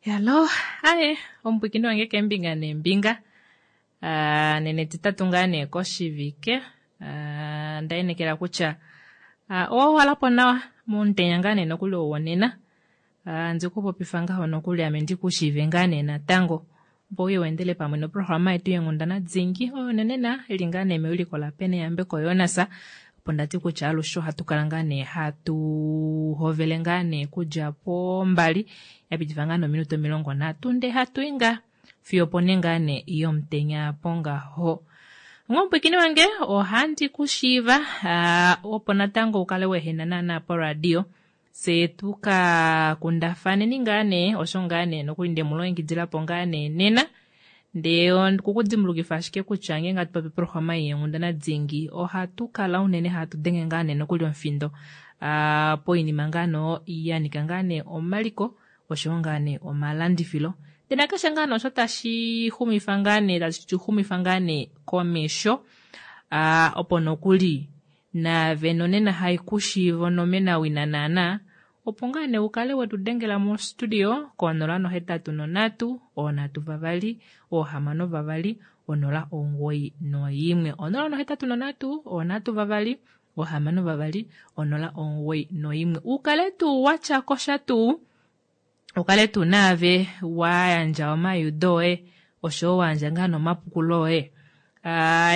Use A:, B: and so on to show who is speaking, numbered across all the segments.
A: Hallo, aye omupwiikini wange keembinga neembinga. Uh, nena etitatu ngaa nee koshivike. Uh, nda enekela kutya uh, owa uhala po nawa momutenya ngaa nee nokuli owonena. Uh, ndi ku popifa ngaho nokuli ame ndi ku shiive ngaa nee natango opo uye weendele pamwe noprograma yetu yeenghundana dingi oyo nenena ili ngaa nee mewiliko laPeneyambeko Jonas. Opo ndati kutya alushe ohatu kala ngaa nee hatu hovele ngaa nee kudja pombali ya pitifa ngaa nominute 30 ndee hatu i ngaa fiyo opone ngaa nee yomutenya pongaho. Omupwiikini wange ohandi ku shiiva opo natango u kale wehena naana poradio fye tu ka kundafaneni ngaa nee osho ngaa nee nokuli nde mu longekidila po ngaa nee nena ndee okukudimbulukifa ashike kutya ngeenge hatu popi programa yeenghundana dingi ohatu kala unene hatu denge ngaa nee nokuli omufindo poinima ngaa noo ya nika ngaa nee omaliko oshowo ngaa nee omalandifilo ndee nakeshe ngaa nee osho tashi xumifa ngaa nee tashi xumifa ngaa nee komesho opo nokuli naave nonena haikushiiva onomena wina naana opo ngaa nee ukale wetu dengela mo studio ko 083 3 6 2 091 083 3 6 2 091 ukale tuu watya kosha tuu ukale tuu naave wa yandja omaiudo oye oshowo wa yandja ngaa nomapukulo oye.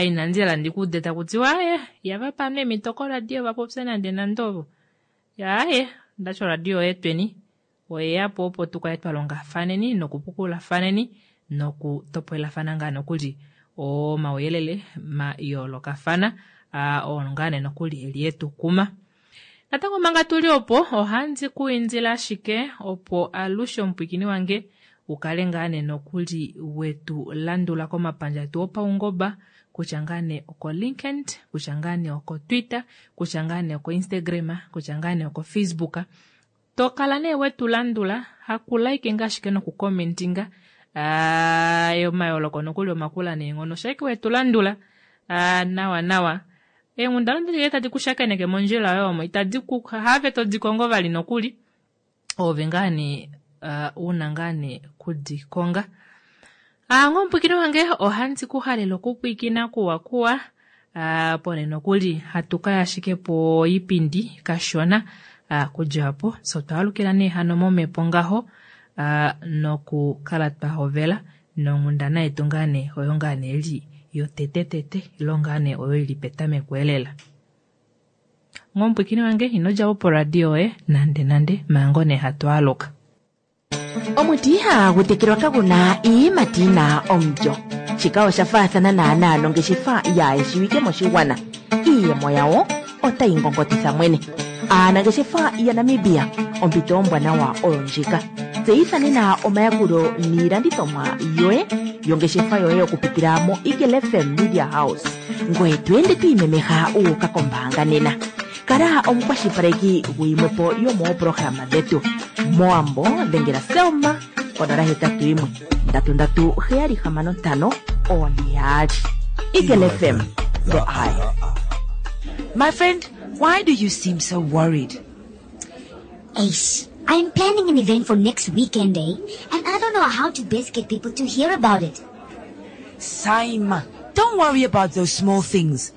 A: Inandi hala ndikuude taku tiwa aye ihava pa neemhito koradio va popye nande nande ovo. Aaye ndati oradio oyetweni oyeya po opo tu kale twa longafaneni nokupukulafaneni nokutopolelafana ngaa nokuli omauyelele ma yoolokafana oo ngaa nee nokuli eli etu kuma. Natango manga tuli opo ohandi ku indile ashike opo alushe omupwiikini wange ukale ngaa nee nokuli wetu landula komapandja etu opaungoba kutya ngaa nee oko LinkedIn, kutya ngaa nee oko Twitter, kutya ngaa nee oko Instagram, kutya ngaa nee oko Facebook. To kala nee wetu landula haku like ngaa ashike noku commentinga. Omayooloko nokuli omakula neenghono shaike wetu landula nawa nawa. Eenghundana odili tadi ku shakeneke mondjila yoye omo itadi ku have to di kongo vali nokuli ove ngaa nee una ngaa nee kudi konga. Ngomupwiikini wange ohandi ku halele okupwiikina kuwa kuwa pone nokuli hatu kaya ashike poipindi kashona kudja po so twaalukila nee hano momhepo ngaho nokukala twa hovela nonghundana yetu ngaa nee oyo ngaa nee ili yotetetete ilo ngaa nee oyo ili petameko elela. Ngomupwiikini wange ino dja po poradio yoye nande nande manga nee hatu aluka.
B: Omuti ihaagu tekelwa kagu na iiyimati yi na omulyo. Shika osha faathana naanaa nongeshefa yaa shiwike moshigwana. Iiyemo yawo otayi ngongotitha mwene. Aanangeshefa yaNamibia, ompito ombwanawa oyo ndjika. Tseyitha nena omayakulo niilandithomwa yoye yongeshefa yoye okupitila mo Eagle FM Media House. Ngoye to ende to imemeha wu uka kombaanga nena. Kala omukwashilipaleki guyimwe po yomooprograma dhetu. Mowambo dhengela Selma konola hetatu yimwe ndatu ndatu heyali hamano ntano one yaali. Eagle FM, the eye.
C: My friend, why do you seem so worried?
D: Ace, I'm planning an event for next weekend, eh? And I don't know how to best get people to hear about it.
C: Saima, don't worry about those small things.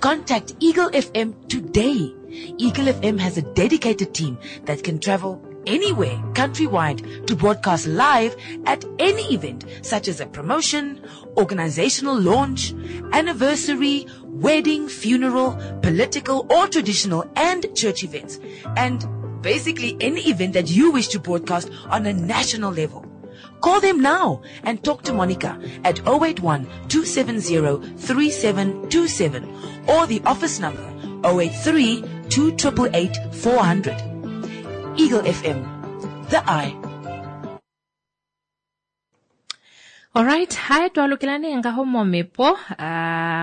C: Contact Eagle FM today. Eagle FM has a dedicated team that can travel anywhere countrywide to broadcast live at any event, such as a promotion, organizational launch, anniversary, wedding, funeral, political or traditional and church events, and basically any event that you wish to broadcast on a national level. Call them now and talk to Monica at 081 270 3727 or the office number 083 288 400. Eagle FM, the eye.
A: Alright, hai twalukila nee ngaho momhepo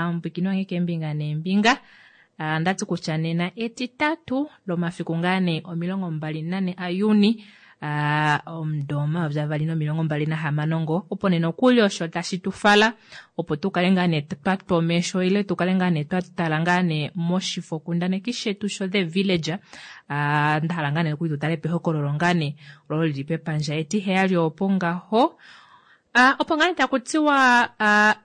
A: omupwiikini wange keembinga neembinga. Ndati kutya nena etitatu lomafiku ngaa nee 24 aJuni. Omudo 2026 ngo opo nee nokuli osho tashi tu fala opo tu kale ngaa nee twa twa omesho ile tu kale ngaa nee twa tala ngaa nee moshifokundaneki shetu sho The Villager. Nda hala ngaa nee nokuli tu tale pehokololo ngaa nee olo lili pepandja etiheyali opo ngaho. Opo ngaa nee taku tiwa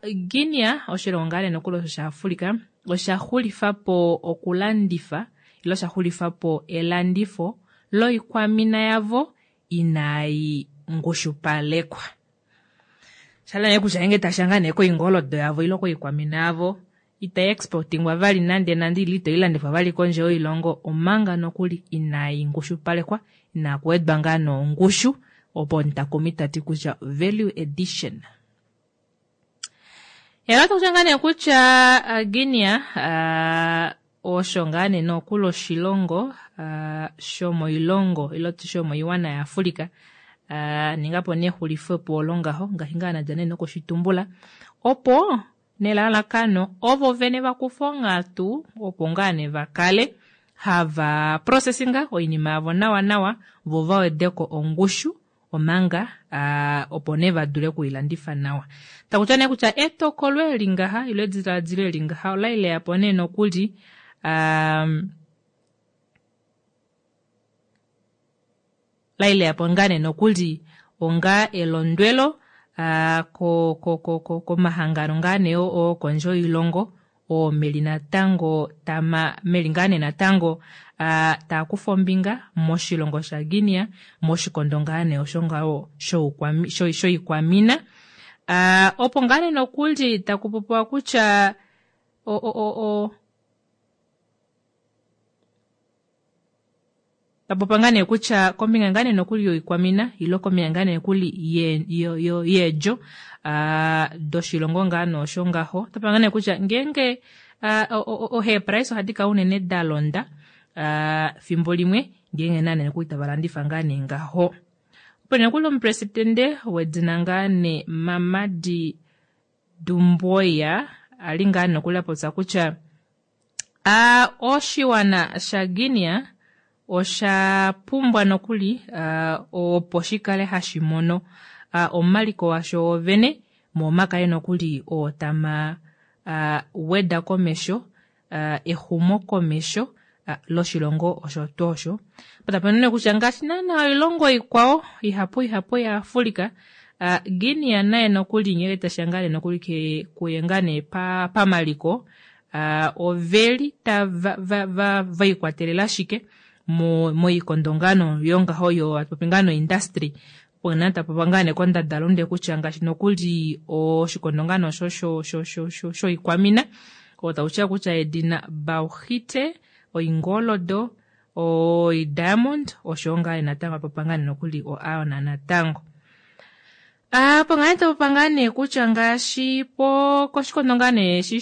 A: Guinea oshilongo ngaa nee nokuli osho shaAfrika osha xulifa po okulandifa ile osha xulifa po elandifo loikwamina yavo inai ngushupalekwa. Shala nee kutya ngeenge tasha ngaa nee koingoldo yavo ile koikwamina yavo itai exportingwa vali nande nande ile itai landifwa vali kondje yoilongo omanga nokuli inai ngushupalekwa ina kuwedwa ngaa nongushu opo ntakumi tati kutya value addition. Yala takusha ngaa nee kutya Guinea osho ngaa nee nokuli oshilongo shomoilongo ile shomoiwana yaAfrika ningapo nee xulifepo olongaho ngaashi ngaa nadja nee nokushitumbula opo nelalakano ovo vene vakufa onghatu opo ngaa nee vakale hava processinga oinima yavo nawa nawa vo vawedeko ongushu omanga opo nee vadule okuilandifa nawa. Takutya nee kutya etokolo eli ngaha ile ediladilo eli ngaha ola ile yapo nee nokuli la ile yapo ngaa nee nokuli onga elondwelo komahangano ngaa nee oo kondje yoilongo oo meli natango tama meli ngaa nee natango taakufa ombinga moshilongo shaGuinea moshikondo ngaa nee osho ngaho shoikwamina. Opo ngaa nee nokuli taku popiwa kutya tapopa ngaa nee kutya kombinga ngaa nee nokuli yoikwamina ile kombinga ngaa nee nokuli yeedjo doshilongo ngaa noosho ngaho tapopa ngaa nee kutya ngeenge ohe price ohadi kala unene da londa fimbo limwe ngeenge naa nee nokuli tava landifa ngaa nee ngaho. Opo nee nokuli omupresidente wedina ngaa nee Mamadi Doumbouya ali ngaa nokuli apopya kutya oshiwana shaGuinea osha pumbwa nokuli opo shikale hashi mono omaliko washo wovene mo makale nokuli oo tama weda komesho exumo komesho loshilongo osho tuu osho. Patapanene kutya ngaashi naana oilongo ikwao ihapu ihapu yaAfrika Guinea naye nokuli ngele tasha ngaa nee nokuli kuye ngaa nee pamaliko oveli vaikwatelela shike moikondo ngano yongaho yo atupopi ngano industry pona tapopa ngaa nee kondadalunde kutya ngaashi nokuli oshikondo ngano shoikwamina otautya kutya edina bauxite oingoldo oi-diamond osho ngaa natango apopa ngaa nokuli o-iron natango. Apo ngaa tapopa ngaa nee kutya ngaashi po koshikondo ngaa nee eshi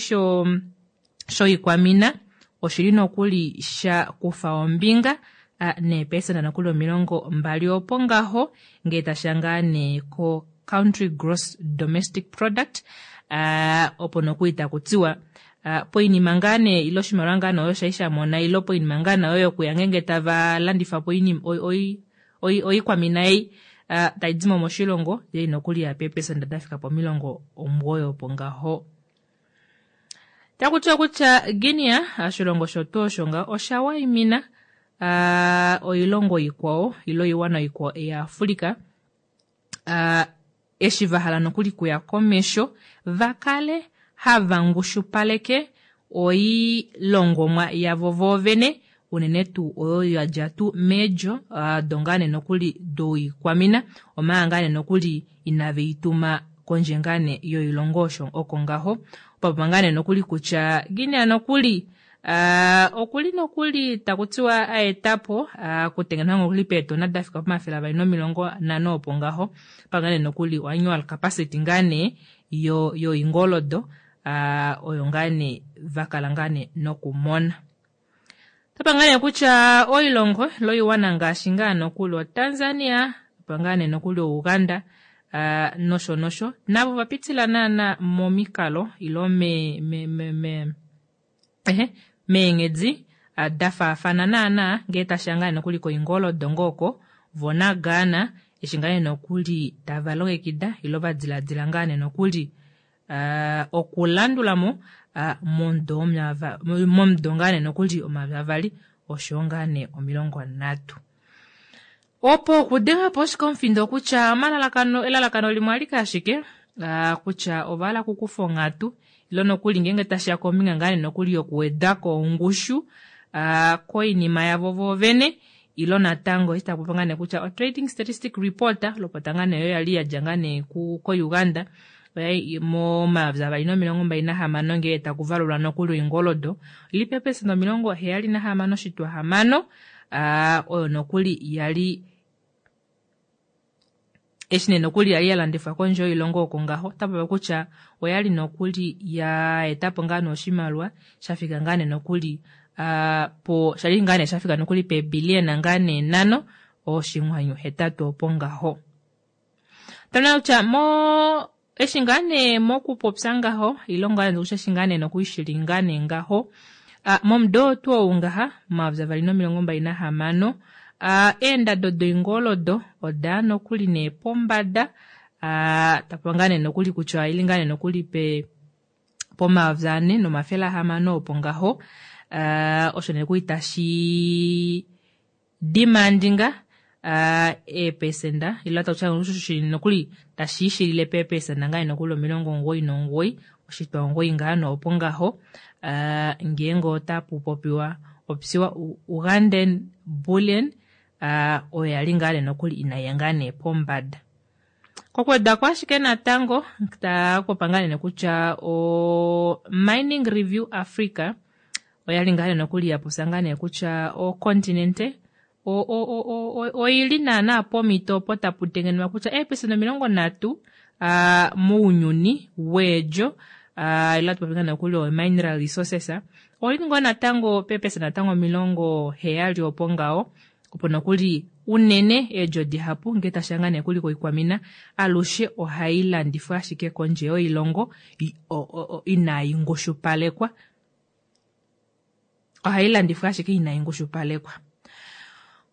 A: shoikwamina oshili nokuli sha kufa ombinga neepesenda nokuli 20 opo ngaho ngee tasha ngaa nee ko country gross domestic product opo nokuli taku tiwa poinima ngaa nee ile oshimaliwa ngaa nee oyo shai sha mona ile poinima ngaa nee oyo yokuya ngeenge tava landifa po oikwamina ei tai dimo moshilongo yei nokuli ya peepesenda dafika po 90 opo ngaho. Taku tiwa kutya Guinea oshilongo shotu osho nga osha waimina oilongo ikwao ile oiwana ikwao yaAfrika eshi va hala nokuli kuya komesho vakale hava ngushupaleke oilongomwa yavo voovene unene tuu oyo yadja tuu meedjo dongaa nee nokuli doikwamina omanga ngaa nee nokuli inave ituma kondje ngaa nee yoilongo osho oko ngaho. Papa ngaa nee nokuli kutya Guinea nokuli okuli nokuli taku tiwa aetapo kutengenwa nokuli peetona dafika po250 opo ngaho panga nee nokuli annual capacity ngaa nee yoingoldo oyo ngaa nee vakala ngaa nee nokumona. Tapa ngaa nee kutya oilongo loiwana ngaashi ngaa nokuli oTanzania apa ngaa nee nokuli oUganda nosho nosho navo vapitila naana momikalo ilo meenghedi da faafana naana ngee tasha ngaa nokuli koingoldo ngooko Vo naGhana eshi ngaa nee nokuli tava longekida ile va diladila ngaa nee nokuli okulandula mo momudo momudo ngaa nee nokuli 2030. Opo okudenga po ashike omufindo kutya omalalakano elalakano limwe alike ashike kutya ova hala okukufa onghatu ile nokuli ngeenge tashiya kombinga ngaa nee nokuli yokuwedako ongushu koinima yavo voovene ilo natango eshi tapopi ngaa nee kutya o-trading statistic report lopota ngaa nee oyo yali yadja ngaa nee ko-Uganda mo-2026 ngee taku valulwa nokuli oingolodo ili peepesenda 76.6 oyo nokuli yali eshi nee nokuli yali yalandifwa kondje yoilongo oko ngaho otapopi kutya oyali nokuli ya etapo ngaa nee oshimaliwa shafika ngaa nee nokuli po shali ngaa nee shafika nokuli peebiliyona ngaa nee 5.8 opo ngaho. Tuna kutya mo eshi ngaa nee mokupopya ngaho ile ngaa nee eshi ngaa nee nokuli shili ngaa nee ngaho momudo oo tuu ou ngaha 2026 eendado doingolodo oda nokuli nee pombada tapopi ngaa nee nokuli kutya oili ngaa nee nokuli pe po4 600 opo ngaho osho nee kuli tashi demandinga eepesenda ile takutya osho nokuli tashi shilile peepesenda ngaa nokuli 99.9 ngaa noopo ngaho ngeenge otapu popiwa opsiwa Ugandan bullion oyo yali ngaa nee nokuli inaiya ngaa nee pombada. Kokwedako ashike natango takupopa ngaa nee kutya o Mining Review Africa oyali ngaa nee nokuli yapopya ngaa nee kutya okontinente oili naana pomhito opo tapu tengenekwa kutya eepesenda 30 mounyuni weedjo ile hatu popi ngaa nokuli o mineral resources oli ngoo natango peepesenda natango 70 opo ngaho opo nokuli unene eedjo dihapu ngee tashiya ngaa nee kuli koikwamina alushe ohai landifwa ashike kondje yoilongo inai ngushupalekwa. Ohai landifwa ashike inai ngushupalekwa.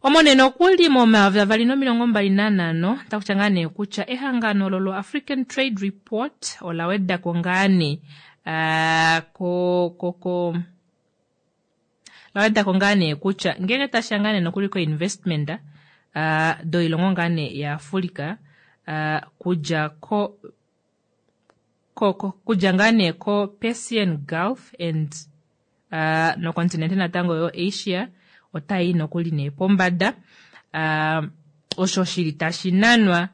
A: Omo nee nokuli mo-2025 takutya ngaa nee kutya ehangano olo lo African Trade Report ola wedako ngaa nee ko ko ko la wedako ngaa nee kutya ngeenge tashiya ngaa nee nokuli ko-investment doilongo ngaa nee yaAfrica kudja ko kudja ngaa nee ko Persian Gulf and nokontinente natango yo Asia otayi nokuli nee pombada osho shili tashi nanwa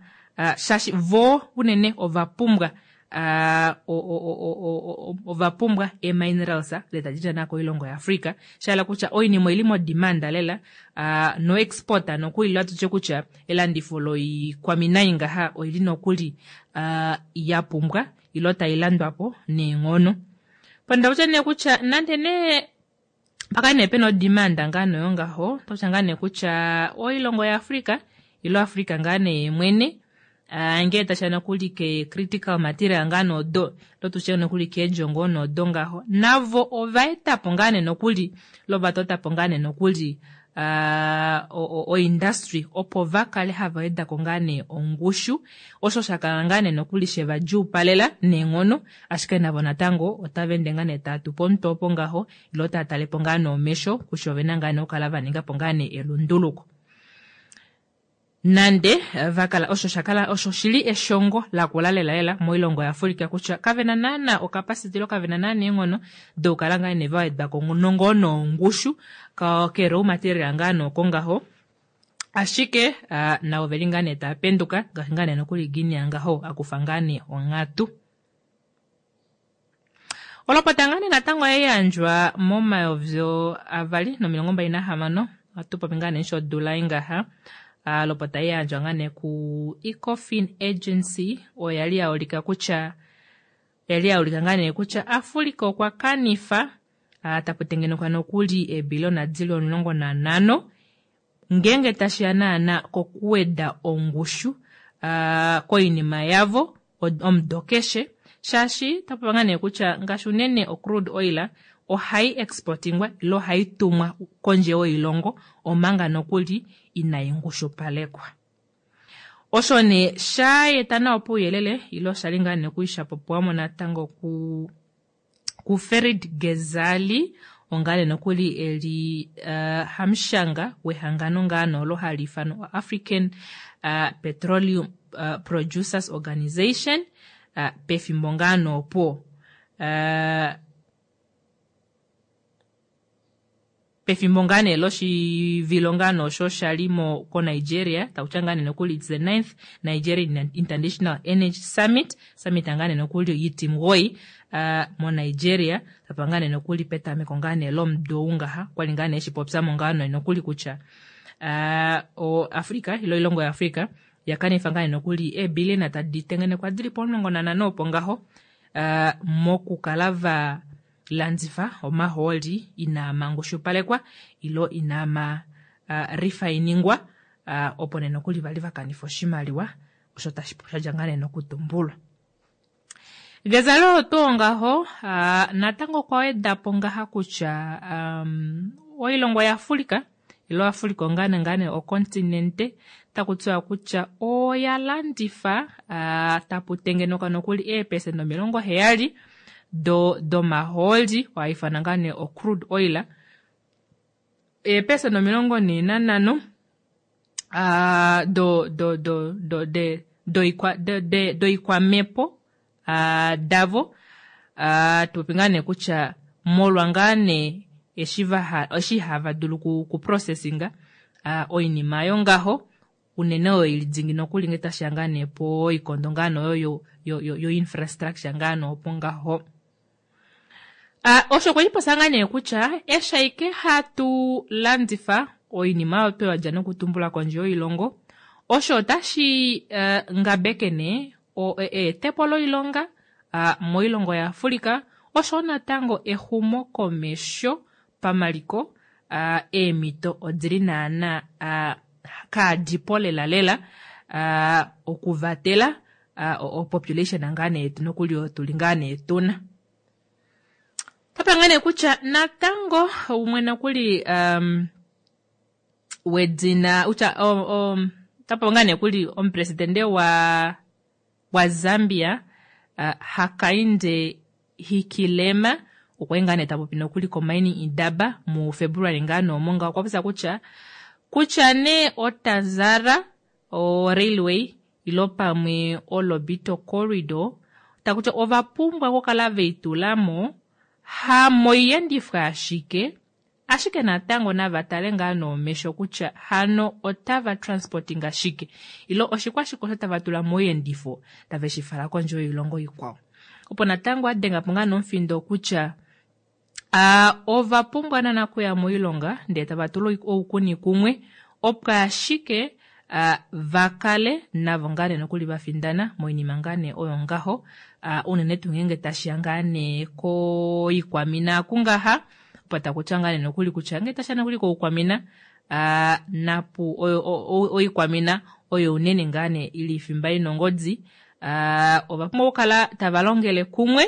A: shashi vo unene ova pumbwa ova pumbwa e-minerals tadi nana koilongo yaAfrica shahala kutya oinima oili mo demand lela no export nokuli latutye kutya elandifo loikwamina ngaha oili nokuli ya pumbwa ilo tai landwapo neenghono. Ponda kutya nee kutya nande nee paka nee pena odemand ngaa noyo ngaho tokutya ngaa nee kutya oilongo yaAfrica ilo Africa ngaa nee mwene ngee tashiya nokuli ke critical material ngaa noodo ilo tutye nokuli keedjo ngoo noodo ngaho navo ova etapo ngaa nee nokuli ilo va totapo ngaa nee nokuli oindustry opo va kale hava wedako ngaa nee ongushu osho shakala ngaa nee nokuli sheva djuupalela neenghono ashike navo natango otava ende ngaa nee tava tupo omutwe opo ngaho ilo tava talepo ngaa nee omesho kutya ovena ngaa nee okukala va ningapo ngaa nee elunduluko. Nande vakala osho shakala osho shili eshongo lakula lela lela moilongo yaAfrica kutya kavena naana ocapacity ilo kavena naana eenghono dokukala ngaa nee vawedako ngoo noongushu ke raw material ngaa nooko ngaho ashike navo veli ngaa nee tava penduka ngaashi ngaa nee nokuli Guinea ngaho akufa ngaa nee onghatu. Olopota ngaa nee natango yayandjwa mo-2026 ohatu popi ngaa nee shodula ngaha lopota yayandjwa ngaa nee ku Ecofin Agency oyo yali yaulika kutya yali yaulika ngaa nee kutya Africa okwa kanifa tapu tengenekwa nokuli eebiliyona dili 15 ngeenge tashiya naana kokuweda ongushu koinima yavo omudo keshe shaashi tapopi ngaa nee kutya ngaashi unene o crude oil ohai exportingwa ile ohai tumwa kondje yoilongo omanga nokuli inai ngushupalekwa. Osho nee sha eta nawa pouyelele ile osha li ngaa nee sha popiwa mo natango ku kuFerid Gezali ongale nokuli eli hamushanga wehangano ngaa noolo hali ifanwa African Petroleum Producers Organization pefimbo ngaa noopo pefimbo ngaa nee loshivilo ngaa noosho sha li mo koNigeria takutya ngaa nee nokuli it's the 9th Nigerian International Energy Summit summit ngaa nee nokuli yitimugoi moNigeria tapa ngaa nee nokuli petameko ngaa nee lomudo ou ngaha kwali ngaa nee eshipopyamo ngaa nee nokuli kutya o Africa ilo oilongo yaAfrica yakanifa ngaa nee nokuli eebillion tadi tengenekwa dili po 15 opo ngaho mokukala va landifa omahooli inaa mangushupalekwa ilo inaa ma refiningwa opo nee nokuli vali vakanifa oshimaliwa osho tashi shadja ngaa nee nokutumbulwa. Gezalo oto ngaho natango okwa wedapo ngaha kutya oilongo yaAfrika ilo Afrika ongane ngane okontinente takutiwa kutya oya landifa tapu tengenekwa nokuli eepesenda 70 domahooli waifana ngaa nee o crude oil eepesenda 45 doikwamepo davo tupopi ngaa nee kutya molwa ngaa nee eshi hava dulu kuprocessinga oinima yongaho unene oyo ili dingi nokuli ngee tashiya ngaa nee poikondo ngaa nee oyo yo infrastructure ngaa nee opo ngaho. Osho kweshipopya ngaa nee kutya eshi ashike hatu landifa oinima oyo twayadja nokutumbula kondje yoilongo osho otashi ngabeke nee eetepo loilonga moilongo yaAfrika osho natango exumo komesho pamaliko eemito odili naana kaadipo lela lela okuvatela o population ngaa nee yetu nokuli oyo tuli ngaa nee tuna. Tapa ngaa nee kutya natango umwe nokuli wedina utya tapa ngaa nee kuli omupresidente wa Zambia Hakainde Hichilema okwa ngaa nee tapopi nokuli koMining Indaba mu February ngaa noomonga okwa popya kutya kutya nee oTazara o railway ilo pamwe oLobito corridor takutya ova pumbwa okukala veitulamo hamoiyendifwa ashike ashike natango nava tale ngaa noomesho kutya hano otava transportinga shike ilo oshikwashike osho tava tula moiyendifo tave shi fala kondje yoilongo ikwao. Opo natango adenga po ngaa nomufindo kutya ova pumbwa nana okuya moilonga ndee tava tula oukuni kumwe opo ashike vakale navo ngaa nee nokuli vafindana moinima ngaa nee oyo ngaho unene tuu ngeenge tashiya ngaa nee koikwamina kungaha opo takutya ngaa nee nokuli kutya ngee tashiya nokuli koukwamina napu oikwamina oyo unene ngaa nee ili fimba ina ongodi ova pumbwa okukala tava longele kumwe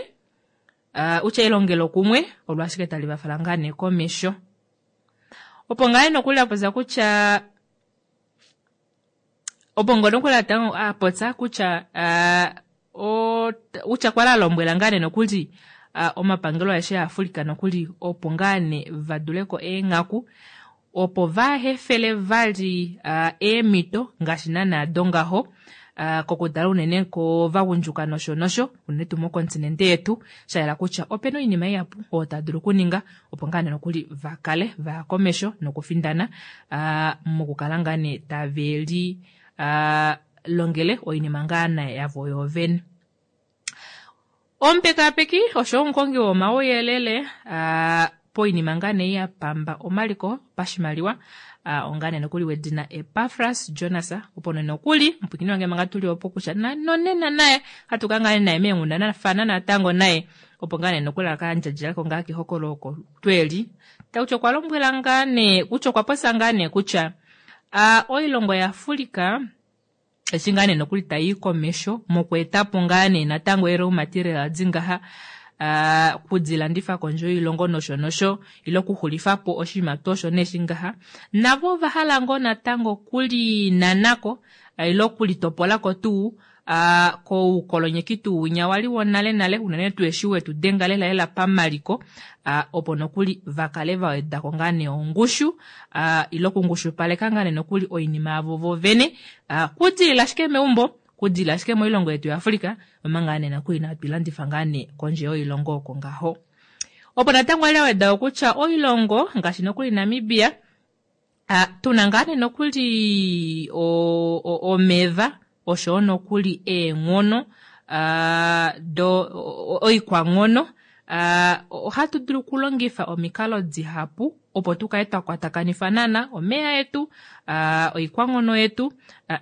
A: utya elongelo kumwe olo ashike tali vafala ngaa nee komesho. Opo ngaa nee nokuli apopya kutya opo ngoo nokuli apopya kutya utya kwali alombwela ngaa nee nokuli omapangelo aeshe aAfrika nokuli opo ngaa nee vaduleko eenghaku opo vahefele vali eemito ngaashi naana dongaho kokutala unene kovagundjuka nosho nosho unene tuu mokontinente yetu shayela kutya opena oinima ihapu oyo tava dulu okuninga opo ngaa nee nokuli vakale vaya komesho nokufindana mokukala ngaa nee tave li longele oinima ngaa nee yavo yoovene. Omupekapeki osho omukongi womauyelele poinima ngaa nee ya pamba omaliko pashimaliwa onga nee nokuli wedina Epafras Jonas opo nee nokuli omupwikini wange manga tuli opo kutya nonena naye hatu ka ngaa naye meenghundafana natango naye opo ngaa nee nokuli akandjadjelako ngaa kehokolo oko tweli takutya okwa lombwela ngaa nee kutya okwa popya ngaa nee kutya oilongo yaAfrika eshi ngaa nee nokuli tayi komesho mokweetapo ngaa nee natango raw material di ngaha. Okudilandifa kondje yoilongo nosho nosho ile okuxulifa po oshinima tuu osho nee shingaha navo ova hala ngoo natango okulinanako ile okulitopolako tuu koukolonyeki tuu winya wali wonale nale unene tuu eshi wetu denga lela lela pamaliko opo nokuli vakale vawedako ngaa nee ongushu ile okungushupaleka ngaa nee nokuli oinima yavo vovene kudilila ashike meumbo kudilila ashike moilongo yetu yaAfrica omanga nee nokuli inatu ilandifa ngaa nee kondje yoilongo oko ngaho. Opo natango ali aweda kutya oilongo ngaashi nokuli Namibia tuna ngaa nee nokuli omeva oshoyo nokuli eenghono do oikwanghono ohatu dulu okulongifa omikalo dihapu opo tukale twa kwatakanifa naana omeya etu, oikwanghono yetu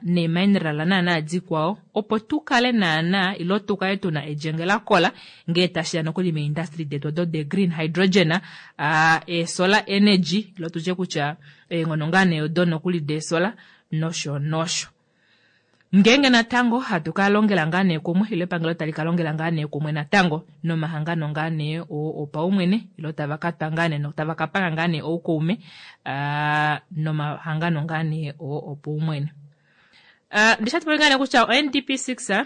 A: neemineral naana dikwao opo tukale naana ile tukale tuna elyenge lakola ngee tashiya nokuli meeindustry detu odo de green hydrogen, eesolar energy ile tutye kutya eenghono ngaa nee odo nokuli deesolar nosho nosho. Ngeenge natango hatu ka longela ngaa nee kumwe ile epangelo tali ka longela ngaa nee kumwe natango nomahangano ngaa nee opaumwene ile tava ka twa ngaa nee tava ka panga ngaa nee oukaume nomahangano ngaa nee opaumwene. Ndisha ngaa nee kutya o-NDP 6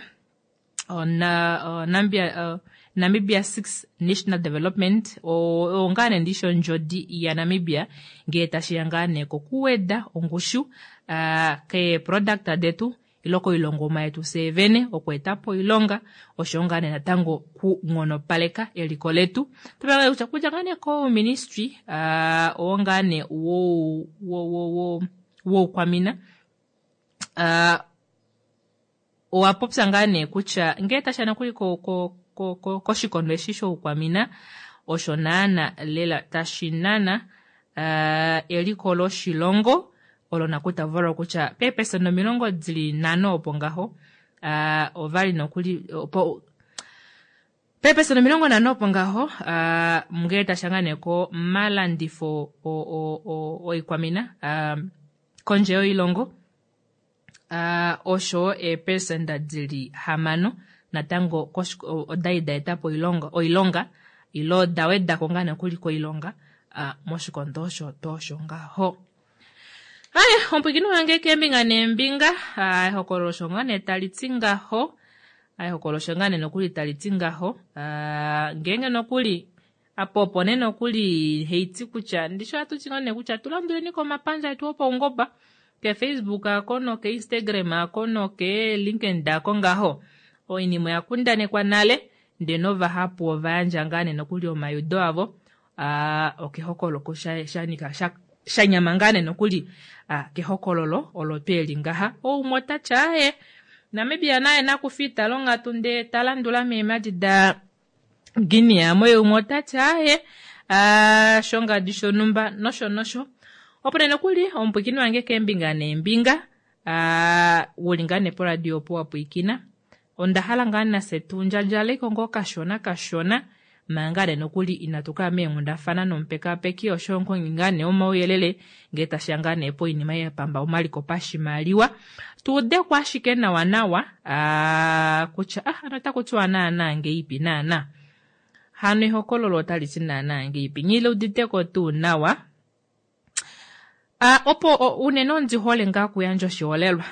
A: Namibia 6 National Development oyo ngaa nee ndishi ondjodi yaNamibia ngee tashiya ngaa nee kokuweda ongushu keeproduct detu ile koilongomwa yetu fyee vene okweetapo oilonga oshoyo ngaa nee natango kunghonopaleka eliko letu. Kutya kudja ngaa nee kouministry oo ngaa nee woukwamina owa popya ngaa nee kutya ngee tashiya nokuli koshikondo eshi shoukwamina osho naana lela tashi nana eliko loshilongo olo nakutavalwa kutya peepesenda 50 opo ngaho ovali nokuli opo peepesenda 50 opo ngaho ngee tashiya ngaa nee komalandifo oikwamina kondje yoilongo osho eepesenda dili 6 natango odali da etapo oilonga ile oda wedako ngaa nokuli koilonga moshikondo osho tuu osho ngaho. Aye, omupwiikini wange keembinga neembinga, ehokololo osho ngaa nee tali ti ngaho, ehokololo osho ngaa nee nokuli tali ti ngaho, ngeenge nokuli apo opo nee nokuli haiti kutya ndishi ohatu ti ngaa nee kutya tulanduleni komapandja etu opaungoba keFacebook ako nokeInstagram ako nokeLinkedIn ako ngaho oinima oya kundanekwa nale ndee novahapu ova yandja ngaa nee nokuli omayudo avo okehokololo shanyama ngaa nee nokuli kehokololo olo tweeli ngaha. Oumwe otati aaye Namibia naye nakufa itala onghatu ndee talandula meemadi da Guinea moye umwe otati aaye shongadi shonumba nosho nosho. Opo nee nokuli omupwiikini wange keembinga neembinga uli ngaa nee poradio opo wapwiikina onda hala ngaa nafye tundjandjaleko ngoo kashona kashona manga nee nokuli inatu kaya meenghundafana nomupekapeki osho omukongi ngaa nee womauyelele ngee tashiya ngaa nee poinima ya pamba omaliko pashimaliwa tuudeko ashike nawa nawa kutya hano otaku tiwa naana ngeipi naana hano ehokololo otali ti naana ngeipi nghi uditeko tuu nawa. Opo unene ondi hole ngaa okuyandja oshiholelwa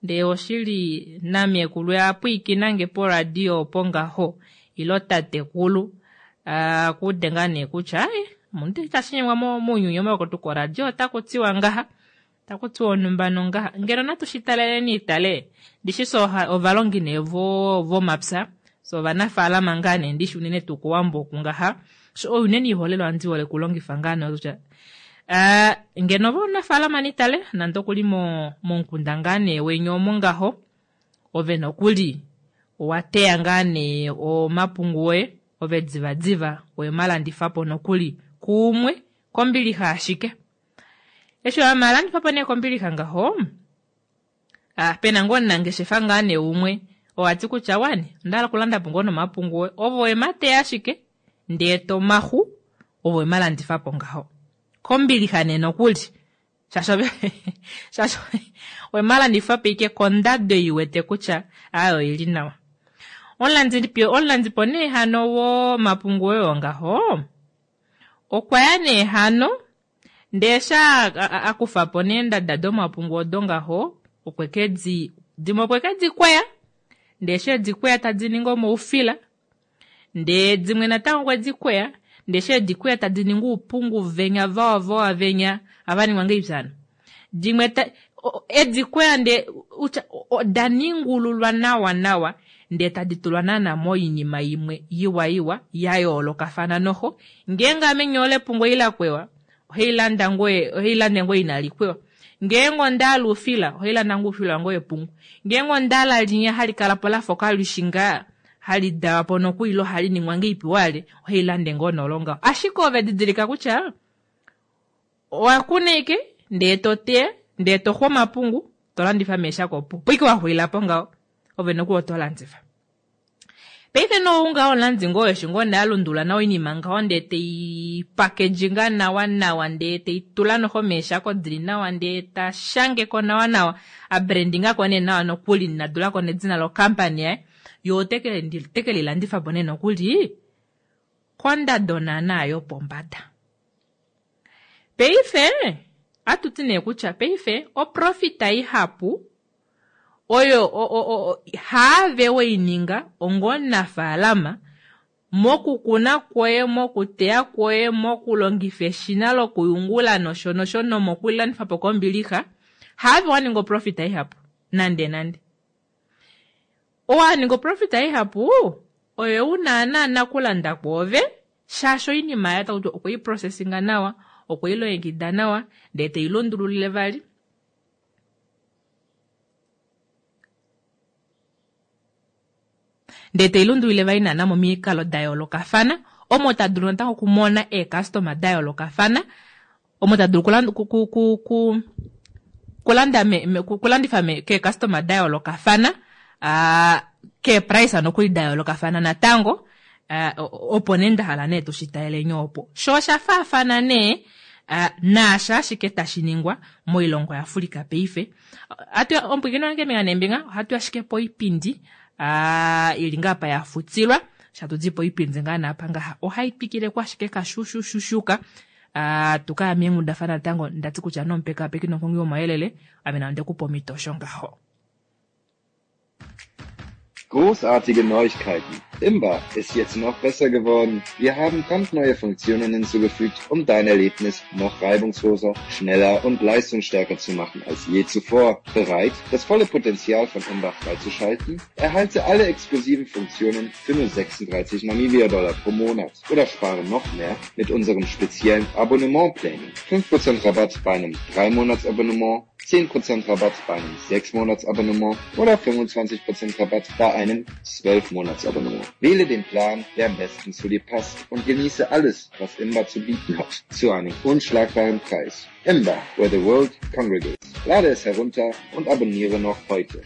A: ndee oshili namekulu apwiikina nge poradio opo ngaho ilo tatekulu kuude ngaa nee kutya aye omuntu itashi nyengwa mounyuni omo koradio otaku tiwa ngaha taku tiwa onumba nongaha ngeno natu shi taleleni itale ndishi so ovalongi nee vomapya so ovanafaalama ngaa nee ndishi unene tuu kowambo oku ngaha so unene iholelwa ndi hole okulongifa ngaa nee kutya ngeno ovanafaalama nitale nande okuli momukunda ngaa nee wenyu omo ngaho ove nokuli owateya ngaa nee omapungu oye ove divadiva wemalandifapo nokuli kuumwe kombilixa ashike eshi wamalandifapo nee kombilixa ngaho pena ngoo omunangeshefa ngaa nee umwe owati kutya wani ondahala okulandapo ngoo nomapungu oye ove wemateya ashike ndee tomaxu ove wemalandifapo ngaho kombilixa nee nokuli shasho wemalandifapo ike kondado iwete kutya ayo oili nawa. Omulandipo nee hano womapungu oyo ngaho okwa ya nee hano ndee sha a kufa po nee eendada domapungu odo ngaho okwe ke di dimwe okwe ke di kweya ndee eshi edi kweya tadi ningi omaufila ndee dimwe natango okwe di kweya ndee eshi edi kweya tadi ningi oupungu venya vawa vawa venya ava ningwa ngahelipi hano dimwe ta edi kweya ndee utya oda ningululwa nawa nawa ndee tadi tulwa naana moinima imwe iwa iwa ya yoolokafana noho ngeenge ame nyoole epungu ei la kwewa ohailanda ngoo ohailande ngoo inali kwewa ngeenge onda hala oufila ohailanda ngoo oufila wange wepungu ngeenge onda hala linya hali kala po lafa okalwishi ngaa hali dawa po nokuli ile ohali ningwa ngeipi wale ohailande ngoo nolo ngaho ashike ove didilika kutya owa kuna ike ndee to teya ndee to xu omapungu to landifa meeshako opo opo ike wa xulila po ngaho ove nokuli oto landifa Paife nee ou ngaho omulandi ngoo eshi ngoo nee a lundulula nawa oinima ngaho ndee tei packaging nawa nawa ndee tei tula noxo meeshako dili nawa ndee ta shangeko nawa nawa a brandingako nee nawa nokuli na tulako nedina lo company yaye ye ote ke lilandifa po nee nokuli kondado naana yopombada. Paife atuti nee kutya paife oprofita ihapu oyo haave we i ninga ongomunafaalama mokukuna kwoye, mokuteya kwoye, mokulongifa eshina lokuyungula nosho nosho nomokulilandifa po kombilixa, haave wa ninga oprofita ihapu nande nande. Owa ninga oprofita ihapu oyo u naana nakulanda kwoove shaashi oinima yaye taku tiwa okwe i processinga nawa, okwe i longekida nawa ndee tei lundululile vali. Ndee tei lundulile vali naana momikalo da yoolokafana omo ta dulu natango okumona eecustoma da yoolokafana omo ta dulu kulanda kulandifa keecustoma da yoolokafana keeprice nokuli da yoolokafana natango opo nee nda hala nee tushi talele opo sho osha faafana nee naasho ashike tashi ningwa moilongo yaAfrica paife atu omupwilikini wange keembinga neembinga ohatu ashike poipindi ili ngaa apa yafutilwa shatu di poipindi ngaa naapa ngaha ohai twikileko ashike kashushushuka tukaya meenghundafana natango ndati kutya nomupekapeki nomuhongi womauyelele ame nayo ndekupa omhito osho ngaho.
E: Großartige Neuigkeiten! Imba ist jetzt noch besser geworden. Wir haben brandneue Funktionen hinzugefügt, um dein Erlebnis noch reibungsloser, schneller und leistungsstärker zu machen als je zuvor. Bereit, das volle Potenzial von Imba freizuschalten? Erhalte alle exklusiven Funktionen für nur 36 Namibia-Dollar pro Monat oder spare noch mehr mit unserem speziellen Abonnementplänen. 5% Rabatt bei einem 3-Monats-Abonnement, 10% Rabatt bei einem 6-Monats-Abonnement oder 25% Rabatt bei einem 12-Monats-Abonnement. Wähle den Plan, der am besten zu dir passt und genieße alles, was Imba zu bieten hat, zu einem unschlagbaren Preis. Imba, where the world congregates. Lade es herunter und abonniere noch heute.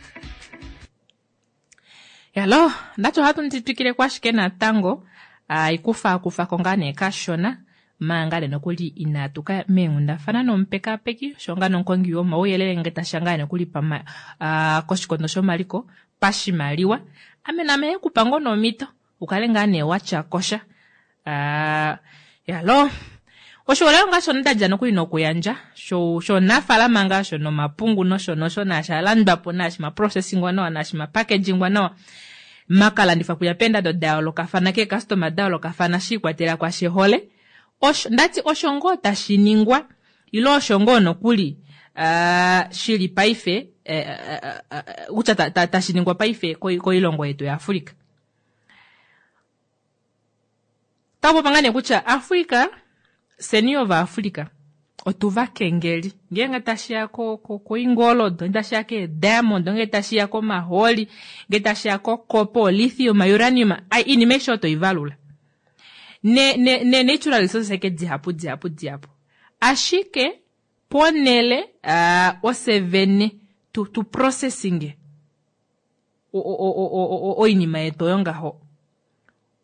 A: Yalo, ndati ohatu twikile ko ashike natango aikufakufako ngaa nee kashona manga nee nokuli inatu kaya meenghundafana nomupekapeki osho ngaa nomukongi womauyelele nge tasha ngaa nokuli pama koshikondo shomaliko pashimaliwa ame naame ekupa ngoo nomhito ukale ngaa nee watya kosha yalo oshiholelwa ngaa shono ndadja nokuli nokuyandja shonafaalama ngaa sho nomapungu nosho nosho naashi alandwa po naashi maprocessingwa nawa naashi mapackagingwa nawa makalandifwa kuya peendado da yoolokafana keecustoma da yoolokafana shiikwatelela kwashi ehole osho ndati osho ngoo tashi ningwa ile osho ngoo nokuli shili paife kutya tashi ningwa paife koilongo yetu yaAfrica. Takupopa ngaa nee kutya Africa seni ovaAfrica otu vakengeli ngeenge tashiya koingoldo ngee tashiya keediamond ngee tashiya komahooli ngee tashiya kokopo lithium uranium iinima aishe oyo toivalula ne, ne, ne natural resources eke dihapu dihapu dihapu ashike ponele ofye vene tu, tu processing oinima yetu oyo ngaho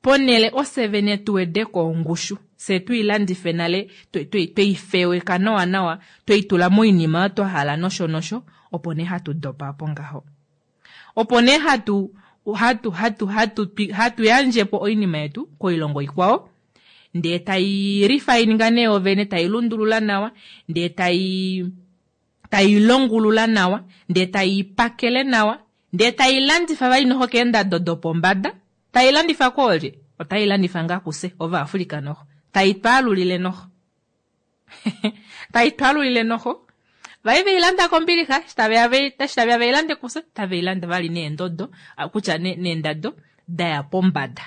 A: ponele ofye vene tuwedeko ongushu fye tuilandife nale tweifeweka nawa nawa tweitula moinima oyo twa hala nosho nosho opo nee hatu dopa po ngaho opo nee hatu hatu hatu hatu hatu yandje po oinima yetu koilongo ikwao ndee tai refininga nee yovene tai lundulula nawa ndee tai tai longulula nawa ndee tai pakele nawa ndee tai landifa vali noho keendado dopombada tai landifa koolye otai landifa ngaa kuse ovaafrika noho tai twaalulile noho tai twaalulile noho vai veilanda kombilixa eshi taveya veilande kufye taveilande vali neendodo kutya neendado daya pombada.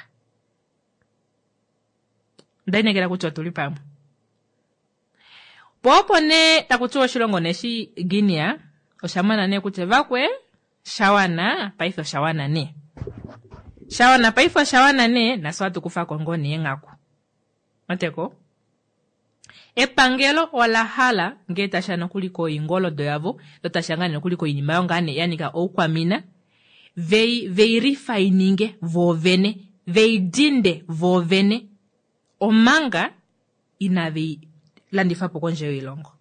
A: Onda kutya otuli pamwe. Po opo nee taku tiwa oshilongo neshi Guinea osha mona nee kutya vakwe shawana paife oshawana nee. Shawana paife oshawana nee nafye ohatu kufako ngoo nee eenghaku. Mateko? Epangelo ola hala ngee tasha nokuli koingolodo yavo lo tasha ngaa nokuli koinima yo ngaa nee ya nika oukwamina vei vei refininge voovene vei dinde voovene omanga inave landifa po kondje yoilongo.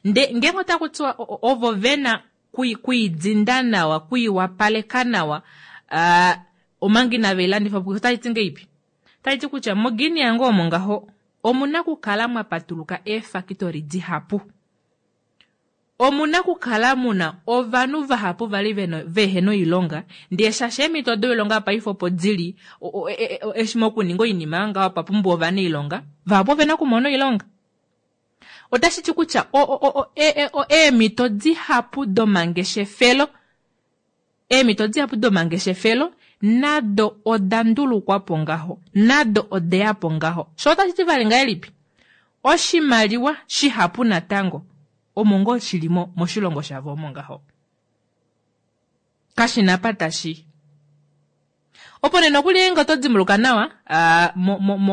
A: Nde ngeenge otaku tiwa ovo vena kuidinda nawa kuiwapaleka nawa uh, omanga inave ilandifa po otashi ti ngeipi otashi ti kutya moGuinea ngoo omo ngaho omuna okukala mwa patuluka eefakitori dihapu. Omuna okukala muna ovanhu vahapu vali vehena oilonga ndee shaashi eemhito doilonga paife opo dili eshi mokuninga oinima ngaho opa pumbiwa ovanailonga vahapu ovena okumona oilonga. Otashi ti kutya eemhito dihapu domangeshefelo eemhito dihapu domangeshefelo nado oda ndulukwa po ngaho nado odeya po ngaho. Sho otashi ti vali ngahelipi? Oshimaliwa shihapu natango omo ngoo shili moshilongo shavo omo ngaho. Kashina pa tashi. Opo nee nokuli ngeenge oto dimbuluka nawa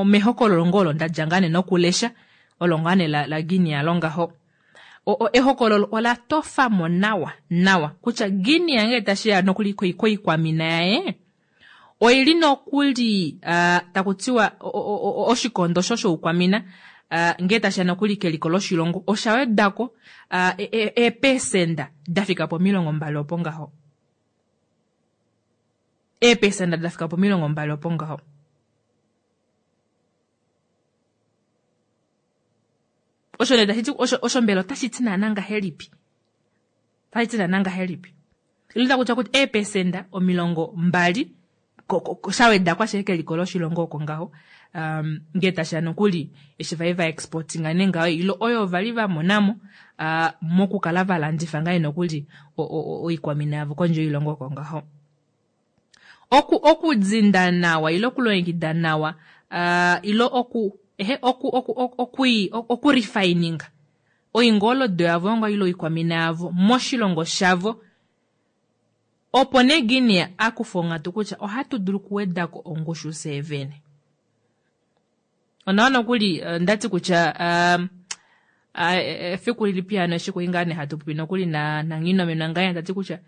A: mehokololo ngoo olo ndadja ngaa nee nokulesha olo ngaa nee la Guinea longaho. Ehokololo ola tofamo nawa nawa kutya Guinea ngee tashiya nokuli koikwamina yaye oili nokuli taku tiwa oshikondo osho shoukwamina ngee tashiya nokuli keliko loshilongo osha wedako eepesenda dafika pomilongo mbali opo ngaho. Eepesenda dafika pomilongo mbali opo ngaho. Osho nee tashi ti osho mbela otashi ti naana ngahelipi? Otashi ti naana ngahelipi? Ile taku tiwa kutya eepesenda omilongo mbali sha wedako ashike keliko loshilongo oko ngaho um, ngee tashiya nokuli eshi vali va exportinga nee ngaho ile oyo vali va monamo uh, mokukala va landifa ngaa nokuli oikwamina yavo kondje yoilongo oko ngaho. Oku okudinda nawa ile okulongekida nawa uh, ile oku ehe oku oku oku oku refininga oingolodo yavo ngo ile oikwamina yavo moshilongo shavo opo nee Guinea a kufa onghatu kutya ohatu dulu okuwedako ongushu fyee vene. Onawa nokuli ndati kutya efiku lilipi hano eshi kwali ngaa nee hatu popi nokuli naNghinomena ngaye tati kutya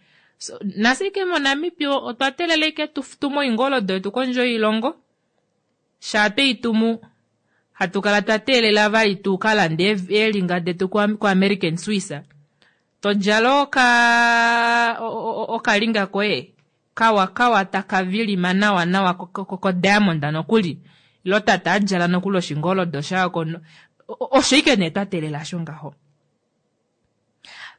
A: nafye ike moNamibia otwa teelela ike tutume oingolodo yetu kondje yoilongo shaa tweitumu hatu kala twa teelela vali tu ka lande eelinga detu kuAmerican Swiss todjala oka okalinga koye kawa kawa taka vilima nawa nawa ko diamond nokuli ilo tata adjala nokuli oshingolodo shayo osho ike nee twa teelela asho ngaho.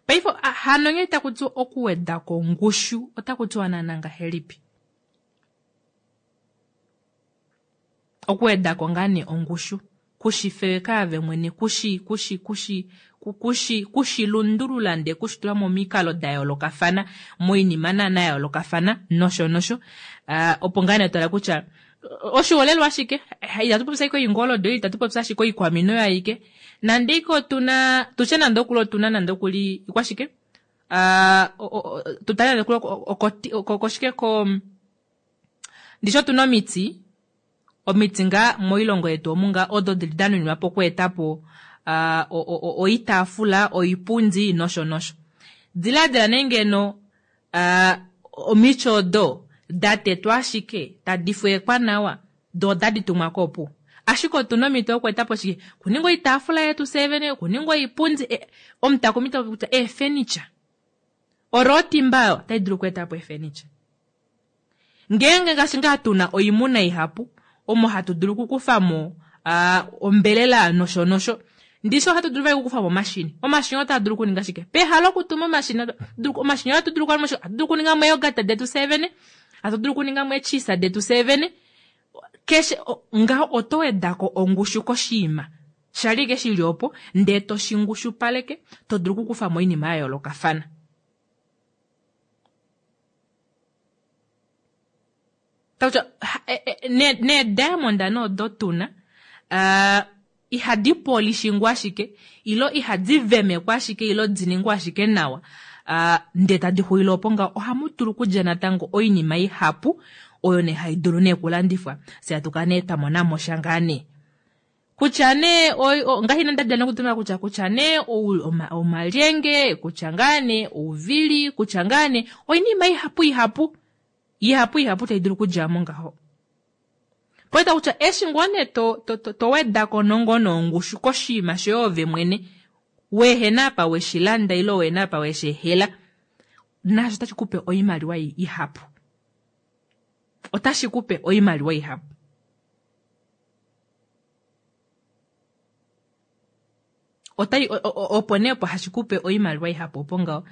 A: Paife hano nghee taku tiwa okuweda kongushu otaku tiwa naana ngahelipi? Okuwedako ngaa nee ongushu kushi feweka ave mwene kushi kushi kushi kushi kushilundulula ndee kushitula momikalo da yoolokafana moinima naana ya yoolokafana nosho nosho uh, opo ngaa nee tola kutya oshiholelwa ashike itatu popya ashike oingolodo itatu popya ashike oikwamino yaike nande ike otuna tutye nande okuli otuna nande okuli ikwashike uh, tutale nande okuli okoshike ko ndishi otuna omiti omiti ngaa moilongo yetu omu ngaa odo dili danuninwa po okweeta po uh, oitaafula oipundi nosho nosho. Diladila nee ngeno uh, omiti odo datetwa ashike tadi fwekwa nawa do odadi tumwa kopu. Ashike otuna omiti okweeta po shike? Kuninga oitaafula yetu fyee kuninga oipundi e, omutakumi ta kutya eefurniture. Orotimba oyo otai dulu okweeta po eefurniture. Ngeenge ngaashi ngaa tuna oimuna ihapu, omo hatu dulu okukufa mo ombelela nosho nosho, ndishi ohatu dulu vali okukufa mo omashini. Omashini otaa dulu okuninga shike? Peha lokutuma omashini, omashini ohatu dulu ohatu dulu okuninga mo eeyogurt detu fyee vene, hatu dulu okuninga mo eecheese detu fyee vene. Keshe ngaho oto weda ko ongushu koshinima shali ashike shili opo, ndee toshi ngushupaleke, to dulu okukufa mo oinima ya yoolokafana. Takutya nee diamond noodo tuna ihadi polishingwa ashike ilo ihadi vemekwa ashike ilo di ningwe ashike nawa ndee tadi xulile opo ngaho. Ohamu dulu okudja natango oinima ihapu oyo nee hai dulu nee okulandifwa fye hatu kala nee twa mona mo sha ngaa nee. Kutya nee ngaashi nda dja nokutumbula kutya kutya nee omalyenge, kutya ngaa nee ouvili, kutya ngaa nee oinima ihapu ihapu ihapu ihapu tai dulu okudja mo ngaho. Poita kutya eshi ngoo nee to, to, to, to weda ko nongo nongushu koshinima shoye ove mwene, weehena apa we shi landa ile weehena apa we shi ehela, naasho otashi ku pe oimaliwa ihapu. Otashi ku pe oimaliwa ihapu. Otai, opo nee opo hashi ku pe oimaliwa ihapu opo ngaho.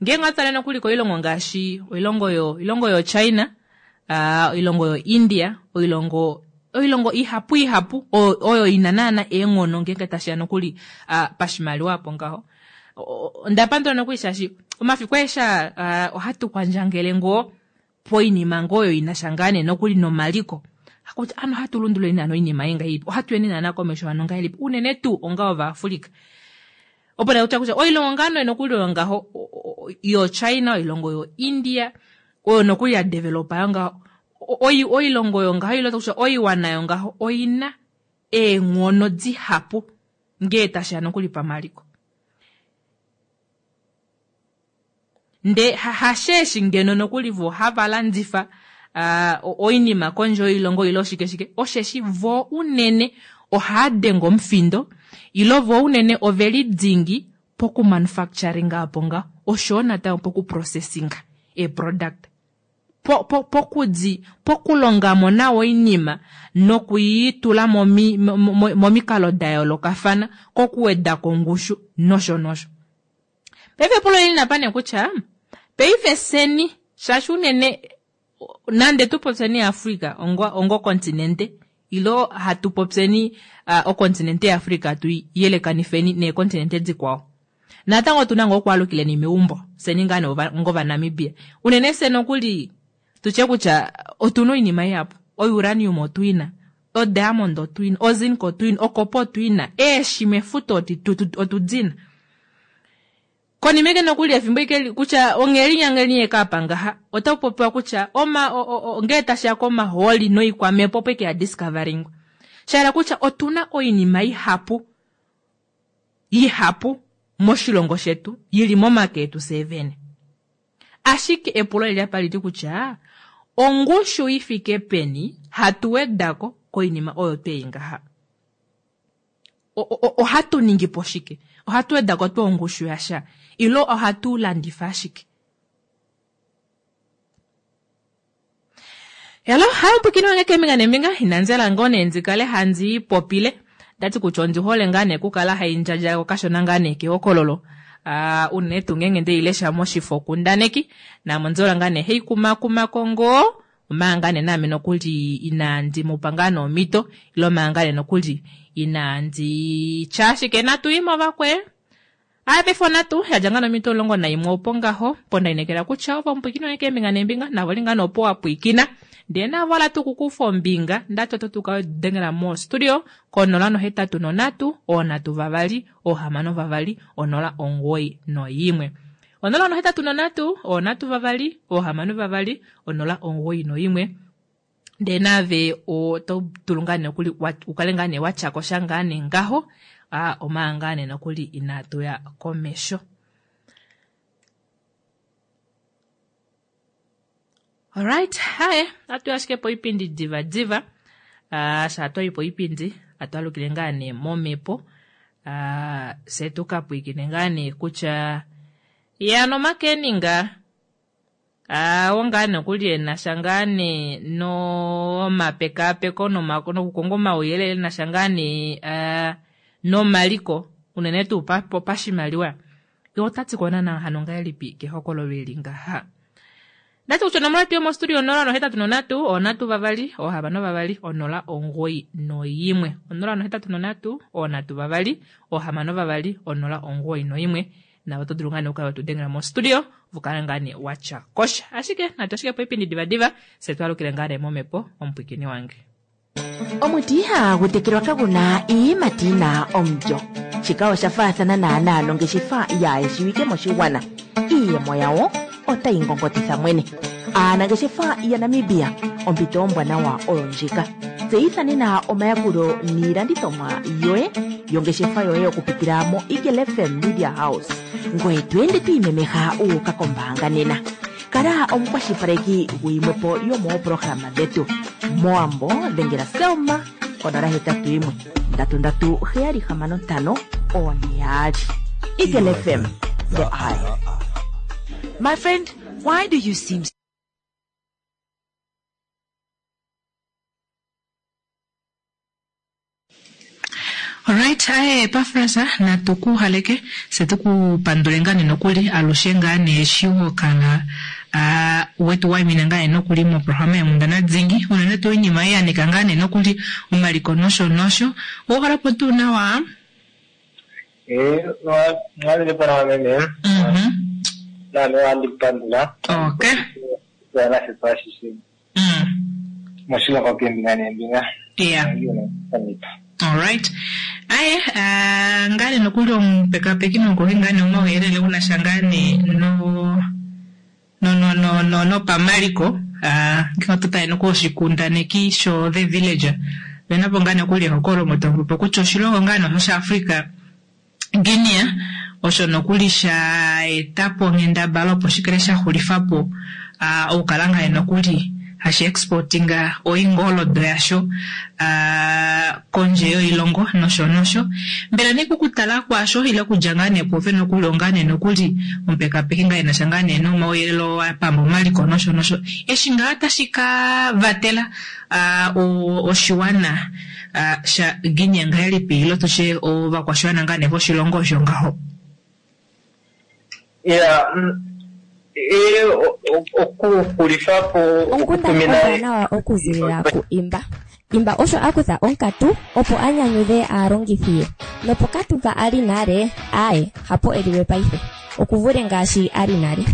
A: Ngeenge owa tale nokuli koilongo ngaashi oilongo yo, oilongo yo China, oilongo yo India, oilongo, oilongo ihapu ihapu oyo ina naana eenghono ngeenge tashi ya nokuli pashimaliwa opo ngaho. Onda pandula nokuli shaashi omafiku aeshe aa ohatu kwandjangele ngoo poinima ngoo oyo ina sha ngaa nee nokuli nomaliko. Kutya ano ohatu lundululeni hano oinima ei ngahelipi, ohatu yeni naana komesho hano ngahelipi, unene tuu onga Ovaafrika. Opo nee kutya kutya oilongo ngaa nee nokuli oyo ngaho yoChina, oilongo yoIndia, oyo nokuli ya developa yo ngaho, oilongo oyo ngaho ile kutya oiwana yo ngaho oina eenghono dihapu ngee tashi ya nokuli pamaliko. Nde hasheeshi ngeno nokuli vo hava landifa oinima kondje yoilongo ile oshike shike, osheshi vo unene ohaa denge omufindo ile vo unene ove li dingi poku manufacturinga opo ngaho, oshoyo natango poku processinga eeproduct. Po, po, pokudi, pokulonga mo nawa oinima noku i tula momi, momikalo da yoolokafana, kokuweda ko ongushu nosho nosho. Paife epulo eli napa nee kutya, paife fyeni, shaashi unene nande tu popyeni Africa ongo, ongo continente, ilo hatu popyeni uh, okontinente yaAfrica tu yelekanifeni neekontinente dikwao. Natango otu na ngoo okwaalukileni meumbo, fyeni ngaa nee ngOvanamibia. Unene fye nokuli tu tye kutya otu na oinima ihapu. Ouranium otu i na, odiamond otu i na, ozinc otu i na, okopa otu i na, eeshi mefuta otu di na. Konima eke nokuli efimbo eke kutya onghelinya nghelinya eke apa ngaha, otaku popiwa kutya oma, o, o, o, ngee tashi ya komahooli noikwamhepo opo eke ya discoveringwa. Sha hala kutya otu na oinima ihapu, ihapu moshilongo shetu yi li momake etu fyee vene. Ashike epulo eli apa lili kutya ongushu i fike peni hatu weda ko koinima oyo twe i ngaha? Ohatu ningi po shike? Ohatu weda ko tuu ongushu yasha ile ohatu landifa ashike? Hello, hi omupwikini wange keembinga neembinga, inandi hala ngoo nee ndi kale handi popile. Ndati kutya ondi hole ngaa nee okukala hai ndjadja ko kashona ngaa nee kehokololo. Uh, unene tuu ngeenge nde i lesha moshifokundaneki, naame ondi hole ngaa nee hei kumakumako ngoo, omanga ngaa nee naame nokuli inaandi mu pa ngaa nee omhito, ile omanga ngaa nee nokuli inaandi tya ashike natu yi mo vakwee. Aya paife onhatu ya dja ngaa nominute 11 opo ngaho, opo nda inekela kutya ove omupwiikini wange keembinga neembinga navo li ngaa nee opo wa pwiikina. Ndee navo hala tuu okukufa ombinga, ndati oto dulu okukala dengela mo studio ko 083 3 6 2 091. 083 3 6 2 091. Ndee naave oto dulu ngaa nee nokuli u kale ngaa nee wa tya ko sha ngaa nee ngaho, omanga ngaa nee nokuli inaatu ya komesho. Alright, haye, atu ya ashike poipindi diva diva. Sha twa yi poipindi, atu alukile ngaa nee momhepo. Fye tu ka pwiikine ngaa nee kutya ya nomakeninga. Oo ngaa nokuli enasha ngaa nee nomapekaapeko nokukonga omauyelele enasha ngaa nee nomaliko unene tuu pashimaliwa ye ota ti ko naana hano ngahelipi kehokololo eli ngaha. Ndati kutya onomola yetu yomostudio 083 3 6 2 091 083 3 6 2 091 na oto dulu ngaa nee okukala wetu dengela mostudio vukale ngaa nee watya kosha. Ashike natu ashike po oipindi divadiva fye twalukile ngaa nee momhepo omupwiikini wange.
B: Omuti ihaagu tekelwa kagu na iiyimati yi na omulyo. Shika osha faathana naanaa nongeshefa yaayeshiwike moshigwana. Iiyemo yawo otayi ngongotitha mwene. Aanangeshefa yaNamibia, ompito ombwanawa oyo ndjika. Tseyitha nena omayakulo niilandithomwa yoye yongeshefa yoye okupitila moEagle FM Media House. Ngoye to ende to imemeha wu uka kombaanga nena. Kala omukwashilipaleki guyimwe po yomooprograma dhetu. Mowambo dhengela Selma ko 081 337 65 42. Eagle FM, the eye.
C: My friend, why do you seem
A: Alright, aye Epafras, natu ku haleke, fye tu ku pandule ngaa nee nokuli alushe ngaa nee eshi ho kala a wetu waimina ngaa nee nokuli moprograma yeenghundana dingi, unene tuu oinima ei ya nika ngaa nee nokuli omaliko nosho nosho. Owa kala po tuu nawa?
F: Ee, mwalile po nawa meme. Naame ohandi ku pandula.
A: Okay.
F: Oshiwana shetu ashishe. Moshilongo keembinga neembinga.
A: Yeah. Alright. Aye, uh, ngaa nee nokuli omupekapeki nomukongi ngaa nee omauyelele una sha ngaa nee no no no no no nopamaliko uh, ngee oto tale nokuli oshikundaneki sho The Villager opena po ngaa nokuli ehokololo mo tamu popi kutya oshilongo ngaa nee osho sha Africa Guinea osho nokuli sha eta po onghendabala opo shi kale sha xulifa po okukala ngahe nokuli hashi exportinga oingoldo yasho kondje yoilongo nosho nosho. Mbela nee kokutala kwaasho ile okudja ngaa nee pwoove nokuli ongaa nee nokuli omupekapeki ngaa enasha ngaa nee nomauyelele oo a pamba omaliko nosho nosho, eshi ngaa tashi ka vatela oshiwana sha Guinea ngahelipi ile tutye ovakwashiwana ngaa nee voshilongo osho ngaho?
F: Ya, okuxulifa po
G: Onkundana
F: okutumina
G: ombwanawa okuzilila ku Imba. Imba osho a kutha onkatu opo a nyanyudhe aalongithi ye. Nopokatu mpa a li nale, aaye, hapo e li we paife. Oku vule ngaashi a li nale.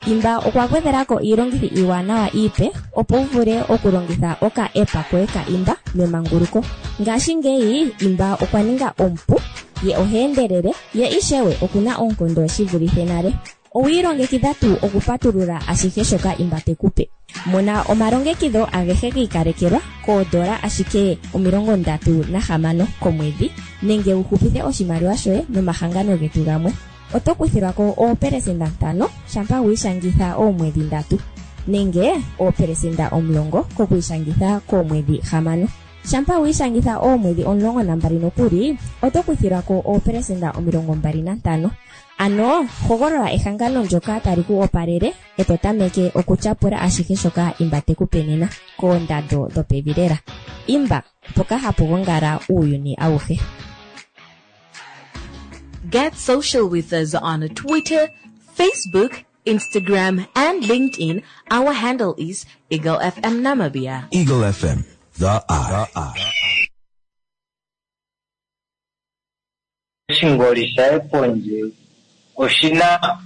G: Imba okwa gwedhela ko iilongithi iiwanawa iipe opo wu vule okulongitha oka app koye ka Imba memanguluko. Ngashingeyi Imba okwa ninga omupu, ye oha endelele, ye ishewe oku na oonkondo shi vulithe nale. Owi ilongekidha tuu okupatulula ashihe shoka Imba te ku pe? Mona omalongekidho agehe gi ikalekelwa koodola ashike 36 komwedhi nenge wu hupithe oshimaliwa shoye nomahangano getu gamwe. Oto kuthilwa ko oopelesenda 5 shampa wi ishangitha oomwedhi ndatu, nenge oopelesenda 10 kokwiishangitha koomwedhi hamano. Shampa wi ishangitha oomwedhi 12 nokuli, oto kuthilwa ko oopelesenda 25. Ano hogolola ehangano ndyoka tali ku opalele e to tameke okutyapula ashihe shoka Imba te ku pe nena, koondando dhopevi lela. Imba, mpoka hapu gongala uuyuni awuhe.
C: Get social with us on Twitter, Facebook, Instagram and LinkedIn. Our handle is Eagle FM Namibia.
H: Eagle FM, the eye.
F: Oshingoli shaye pondje oshina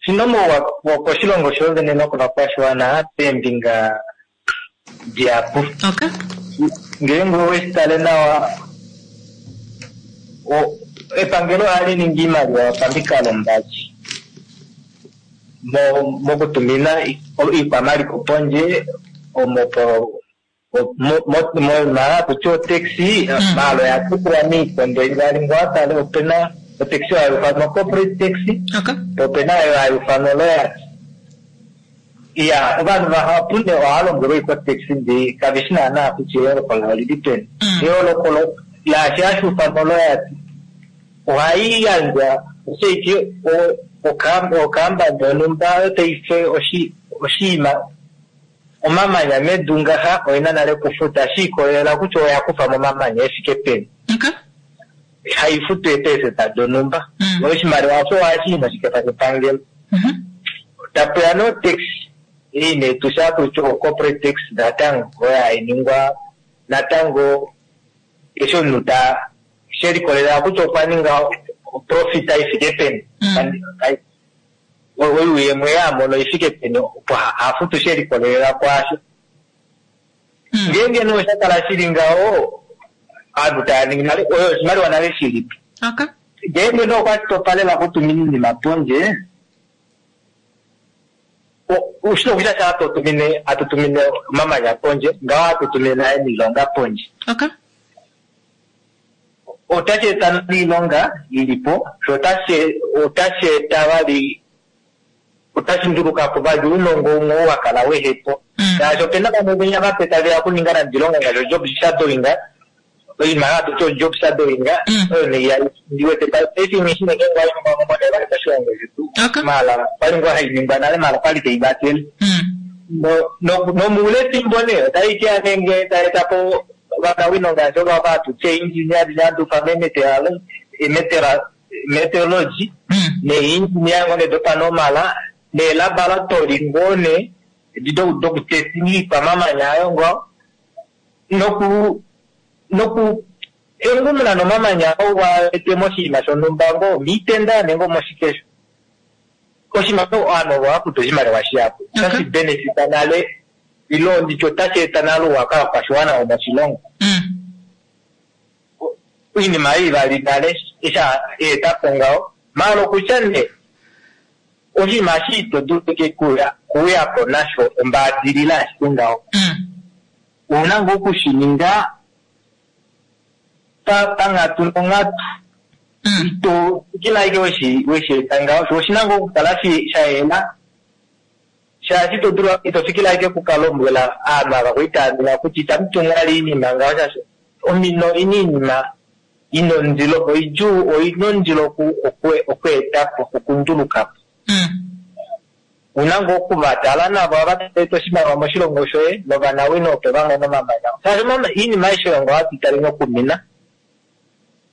F: oshina omauwa koshilongo shoovene nokovakwashiwana peembinga dihapu.
A: Okay.
F: Ngeenge owe shi tale nawa, epangelo ohali ningi iimaliwa pamikalo mbali. Mokutumina iikwamaliko pondje, omo haku tiwa otaxi, maala oya tukulwa miikondo ivali ngee owa tale opena otaxi oyo hayi ufanwa corporate taxi, po opena oyo hayi ufanwa royalty. Iya, ovanhu vahapu nee ohava lombwelwa oikwa taxi ndee kaveshi naana kutya eyooloko lao olili peni. Eyooloko laashi hashi ufanwa royalty ohai yandjwa osheiki okambani yonhumba oyo tai fe oshinima omamanya medu ngaha oina nale kufuta shi ikolelela kutya oya kufa momamanya efike peni. Haifutu eepesenta donhumba. Oshimaliwa osho ohashi i moshikefa shepangelo. Tapuya nee otax ei nee tusha kutya o-corporate tax natango oyo hai ningwa natango eshi omunhu ta she likolelela kutya okwa ninga profit ifike peni. Oyuuyemo ei a mona oifike peni opo hafutu she likolelela kwaasho. Ngeenge nee osha kala shili ngaho ovanhu tava ningi nale oyo oshimaliwa nale shilipi. Ngeenge nee okwa topa lela kutumina oinima pondje, ushina kutya sha atutumine atutumine omamanya pondje ngaho atutumine naye niilonga pondje. Otashi eta niilonga ilipo, sho otashi eta vali otashi ndulukapo vali ounongo umwe oo wakala wehepo. Shaashi opena vamwe venya vape taveya okuninga nande oilonga ngaashi job shadowing, oinima hatu ti job shadowing, oyo nee ndiwete paife imwe eshi nenge ngoo hainingwa mo nee vali moshilongo shetu. Maala kwali ngoo hainingwa nale maala okwali taivatele. Nomoule fimbo nee otai keya nenge tai eta po ovanawino ngaashi ovo hatu ti engineer andufa meteorology nee-engineer ngoo nee dopanormal nee-laboratory ngoo nee edi dokutestinga iikwamamanya ayo ngoo noku engumuna nomamanya oo wa ete moshinima shonhumba ngoo miitenda nenge omoshikesho. Oshinima ovanhu ovo hafutu oshimaliwa shihapu otashi benefita nale ilo nditye otashi eta nale ouwa kaakwashiwana vomoshilongo. Oinima ei vali nale eshi eetapo ngaho maala okutya nee oshinima eshi ito dulu ashike kuuyapo nasho ombaadilila ashike ngaho. Ouna ngoo okushininga panghatu nonghatu. Ito fikila ashike weshi eta ngaho, sho oshina ngoo okukala sha yela. Shaashi ito dulu ito fikila ashike okukalombwela ovanhu ava kwali kutya itamu tungu vali oinima ngaho shaashi omino ina oinima ina ondilo oidjuu oina ondilo okweetapo okundulukapo. Ouna ngoo okuvatala navo ava tava eta oshimaliwa moshilongo shoye novanawino opo va mone omamanya. Shaashi oinima aishe oyo ngoo hatu itale nokumina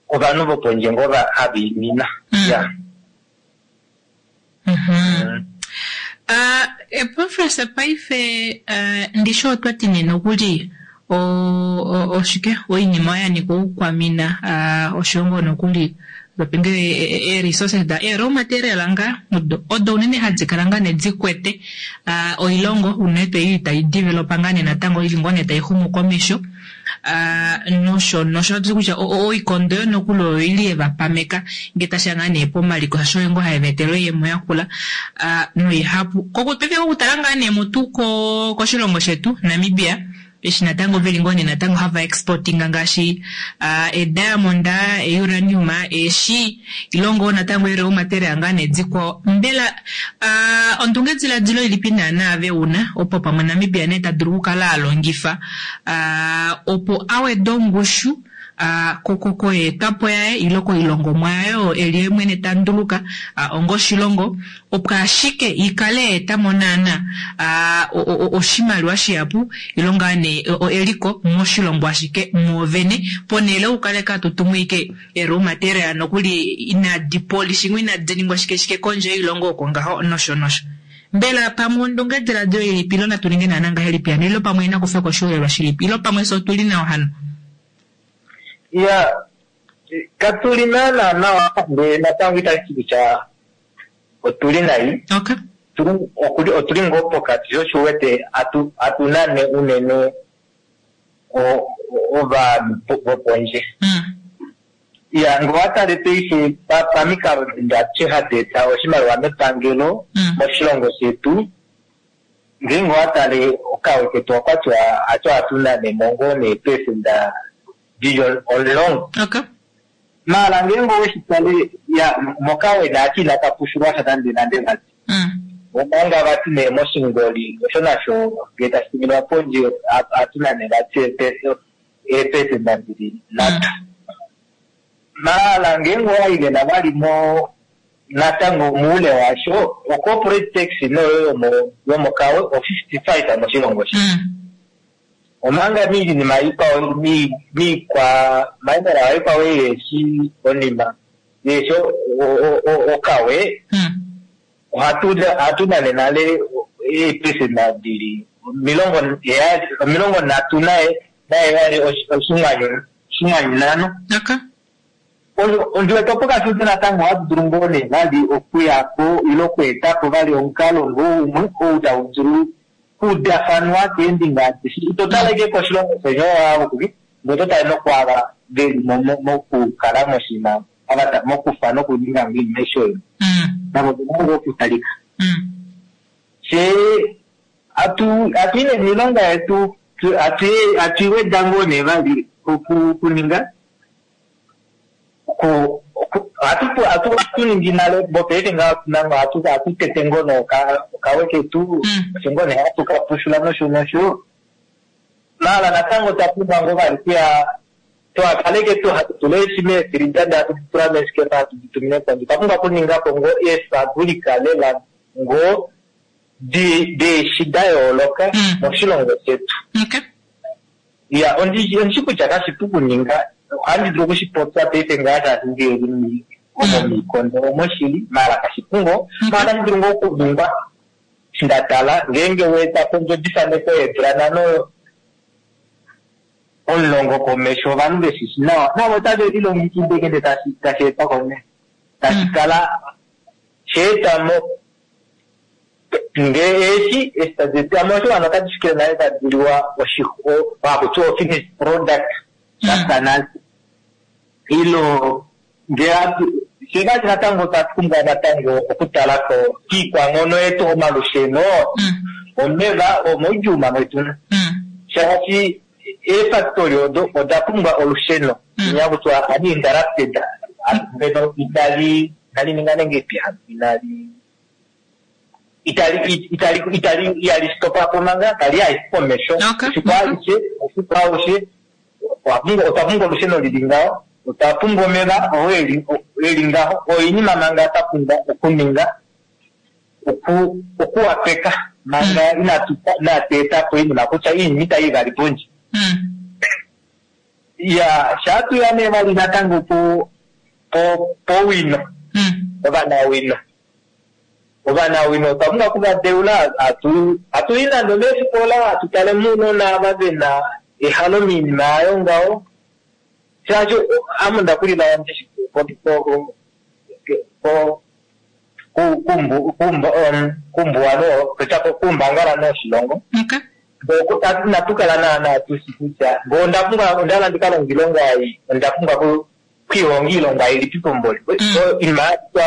F: ovanhu vopondje ngoo hava i mina.
A: Epafras paife ndishi otwa ti nee nokuli oshike oinima oyo ya nika oukwamina oshilongo nokuli topenge ee-resources da ee-raw material ngaa odo unene hadi kala ngaa nee dikwete oilongo unene tuu ei tai developa ngaa nee natango ili ngoo nee tai xumu komesho nosho nosho atu kutya oikondo oyo nokuli oyo ili yevapameka ngee tashiya ngaa nee pomaliko shaashi oyo ngoo hai va etele oiyemo yakula noihapu. Paife kokutala ngaa nee mutu koshilongo shetu Namibia eshi natango veli ngoo nee natango hava exportinga ngaashi e-diamond, e-uranium, eeshi ilo ngoo natango ee-raw material ngaa nee dikwao. Mbela ondungediladilo ilipi naana ave una opo pamwe Namibia nee ta dulu okukala alongifa opo awede ongushu koyeetwapo yaye ilo koilongomwa yaye eli ye mwene ta nduluka onga oshilongo opo ashike ikale yaetamo naana oshimaliwa shihapu ilo ngaa nee eliko moshilongo ashike mwoovene ponhele ukale katutumu ike ee-raw material nokuli inadi polishingwa inadi ningwa shike shike kondje yoilongo oko ngaho nosho nosho. Mbela pamwe ondungediladilo ilipi ilo natu ninge naana ngahelipi hano ilo pamwe inakufeko oshiholelwa shilipi ilo pamwe fye otuli nawa hano?
F: Ya katuli naana nawa ndee natango itashi ti kutya otuli nai. Otuli ngoo pokati sho osho uwete atu nane unene ovanhu vopondje. Ya ngee owatale paife pamikalo dingapi hadi eta oshimaliwa mepangelo moshilongo shetu, ngeenge owatale okawe ketu okwati ati ohatu nanemo ngoo neepesenda dili 10. Maala ngeenge oweshitale ya mokawe naati inakapushulwa sha nande nande vati. Omanga vati nee moshingoli osho nasho ngee tashi tuminwa pondje ohatu nane vati eepesenda dili 3. Maala ngeenge owaile navali Natango moule washo, ocorporate tax noyo yomokawe o 55 moshilongo shetu. Omanga miinima iikwawo miikwa mineral iikwawo yeeshi onima yeeshi okawe ohatu ohatu nane nale eepresenda dili 70 37 oshinghwanyu 5. Ondi wete opo kashutu natango ohatu dulu ngoo nee vali okuya po ile okweeta po vali omukalo ngoo umwe ou tau dulu kuudafanwa keembinga adishe. Ito tale ashike koshilongo sheni oo ndee oto tale nokwaava veli mokukala moshinima mokufa nokuninga oinima aishe oyo. Navo ovena ngoo okutalika. Fyee hatu i nee moilonga yetu hatu i weda ngoo nee vali okuninga ohatu ningi nale mopaife ngaho otuna ngoo ohatu tete ngoo nee okawe ketu osho ngoo nee hatu ka pushula nosho nosho maala natango otwa pumbwa ngoo vali okuya tuhakaleke tuu hatu tula eeshi meefilida ndee hatu di tula meesikepa hatu di tumine pondje. Otwa pumbwa okuninga po ngoo eefabulika lela ngoo deeshi da yooloka moshilongo shetu. Iya, ondi shi kutya kashipu okuninga. Ohandi dulu okushi popya paife ngaha shaashi ndili omo miikondo omo shili, maala kashipu ngoo. Maala otashi dulu ngoo okuningwa eshi nda tala, ngeenge wa eta po ondjodifaneko yeedula 50 komesho, ovanhu ve shi shi nawa, navo otave lilongekida nghene tashi etwa komesho, tashi kala sha eta mo ngee eeshi eshi tadi etwa mo oshiwana otadi fikile nale tadi liwa haku tiwa o-finished product dapya nale ilo ngee hatu fye vali natango otwa pumbwa natango okutala ko kiikwanghono yetu omalusheno omeva omaudjuu mamwe tuna shaashi eefactory odo oda pumbwa olusheno haku tiwa uninterrupted ngeno itali inali ninga nenge epi inali itali itali itali ihali stopa po manga tali ya komesho efiku alishe oufiku aushe otwa pumbwa olusheno lili ngaho otwa pumbwa omeva oo eli ngaho oinima manga twa pumbwa okuninga okuwapeka manga inatu eta po oinima kutya oinima itai vali pondje. Ya shaa tuya nee vali natango po powino ovanawino ovanawino otwa pumbwa okuvadeula hatu i nande omeefikola hatu tale mounona ava ve na ehalo moinima yayo ngaho shaashi ame onda kulila kuumbangalanhu woshilongo inatu kala naana tushi kutya ngee onda pumbwa onda hala ndika longe oilonga ei onda pumbwa okwiilonga oilonga ilipi po mboli oinima yatwa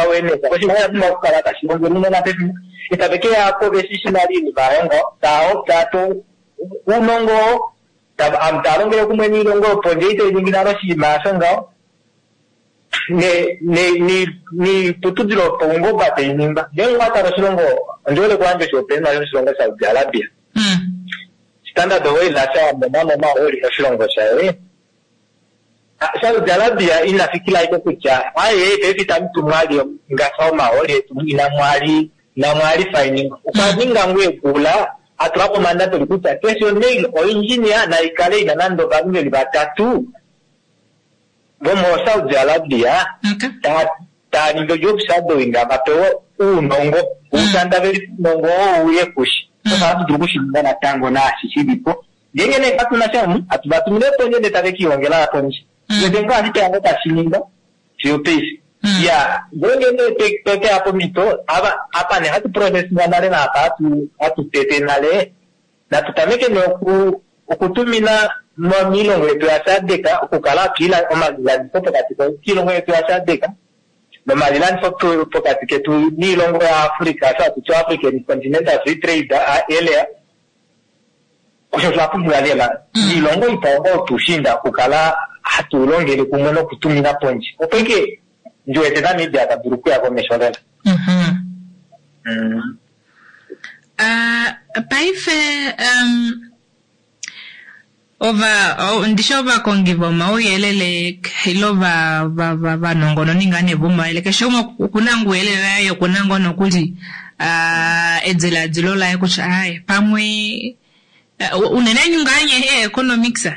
F: oshinima osha pumbwa okukala tashi longelwa ounona pefimbo itave keya po veshishi nale oinima yayo ngaho taape ounongo oo tava longele kumwe noilongo yopondje ei tai ningi nale oshinima osho ngaho niiputudhilo yopaungomba tai ningwa. Ngeenge owa tala oshilongo, ondi hole okuyandja oshihopaenenwa shoshilongo Saudi Arabia. Standard Oil sha mona mo omahooli moshilongo shaye. Saudi Arabia ina fikila ashike kutya aye paife itamu tumu ali ngafa omahooli etu inamu ali inamu ali fining. Okwa ninga ngoo eekula a tula po mandatory kutya keshe onail oengineer nai kale ina nande ovanhu veli vatatu vomoSaudi Arabia tava ningi ojob shadowing va pewe ounongo outandavelifa ounongo oo uye kushe. Osho ohatu dulu okushininga natango naashi shili po. Ngeenge nee katu na sha omu, hatu va tumine pondje ndee tave kiilongela pondje. Wete ngoo ohandi peya ngoo tashi ningwa fiyo opaife. Iya, ngeenge nee pekeya pomhito, apa nee hatu processinga nale naapa hatu tete nale, Natu tameke nee okutumina miilongo yetu yaSADC, okukala hatu i omalilandifo pokati kiilongo yetu yaSADC nomalilandifo pokati ketu niilongo yaAfrica, osho hatu ti African Continental Free Trade Area, osho sha pumbiwa lela niilongo ikwao ngoo opuushiinda okukala hatu longele kumwe nokutumina pondje, opo ike ndi wete Namibia ta dulu okuya komesho lela.
A: Paife um, Ova, ndishi ovakongi vomauyelele ile ova, va, va, vanongononi ngaa nee vomauyelele, keshe umwe oku na ngoo ouyelele waye, oku na ngoo nokuli ediladilo laye kutya aaye pamwe unene ngaa nye eeconomics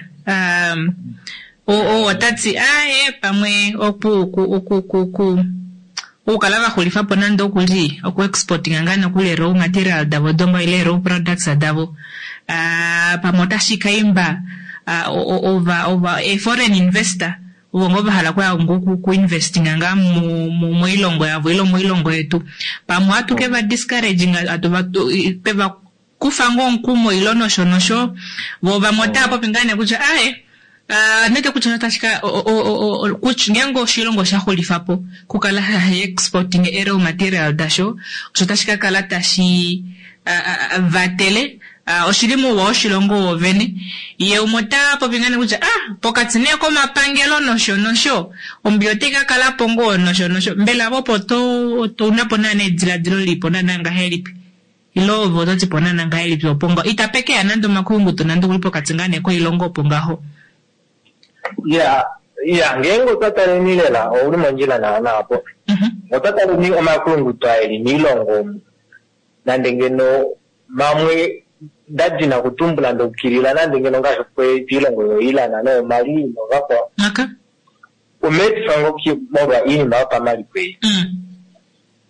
A: oo ota ti aaye pamwe oku, oku, oku, oku, okukala va xulifa po nande oku li oku exportinga ngaa nokuli raw material davo dongo ile raw products davo pamwe otashi ka imba ova ova e foreign investor ovo ngoo va hala okuya ngoo ku investinga ngaa moilongo yavo ile moilongo yetu pamwe ohatu ke va discouraging hatu va twe va kufa ngoo omukumo ilo nosho nosho vo vamwe otava popi ngaa nee kutya aaye nete kutya otashi ka kutya ngeenge oshilongo sha xulifa po okukala hashi exporting raw material dasho osho otashi ka kala tashi vatele oshili mouwa woshilongo wovene. Ye umwe ota popi ngaa nee kutya ah pokati nee komapangelo nosho nosho ombili otai ka kala po ngoo nosho nosho. Mbela vo opo oto una po naana ediladilo lili po naana ngahelipi? Ile ove oto ti po naana ngahelipi opo ngaho itape ke ya nande omakuyunguto nande okuli pokati ngaa nee koilongo opo ngaho?
F: Ya, ya, ngeenge otwa taleni lela, ouli mondjila naana opo. Otwa taleni omakuyunguto aa eli moilongo omu, nande ngeno mamwe nda dina okutumbula nda ukilila nande ngeno ngaashi poilongo yooIran nooMali noovakwao. Omeetifa ngoo molwa oinima yopamaliko ei.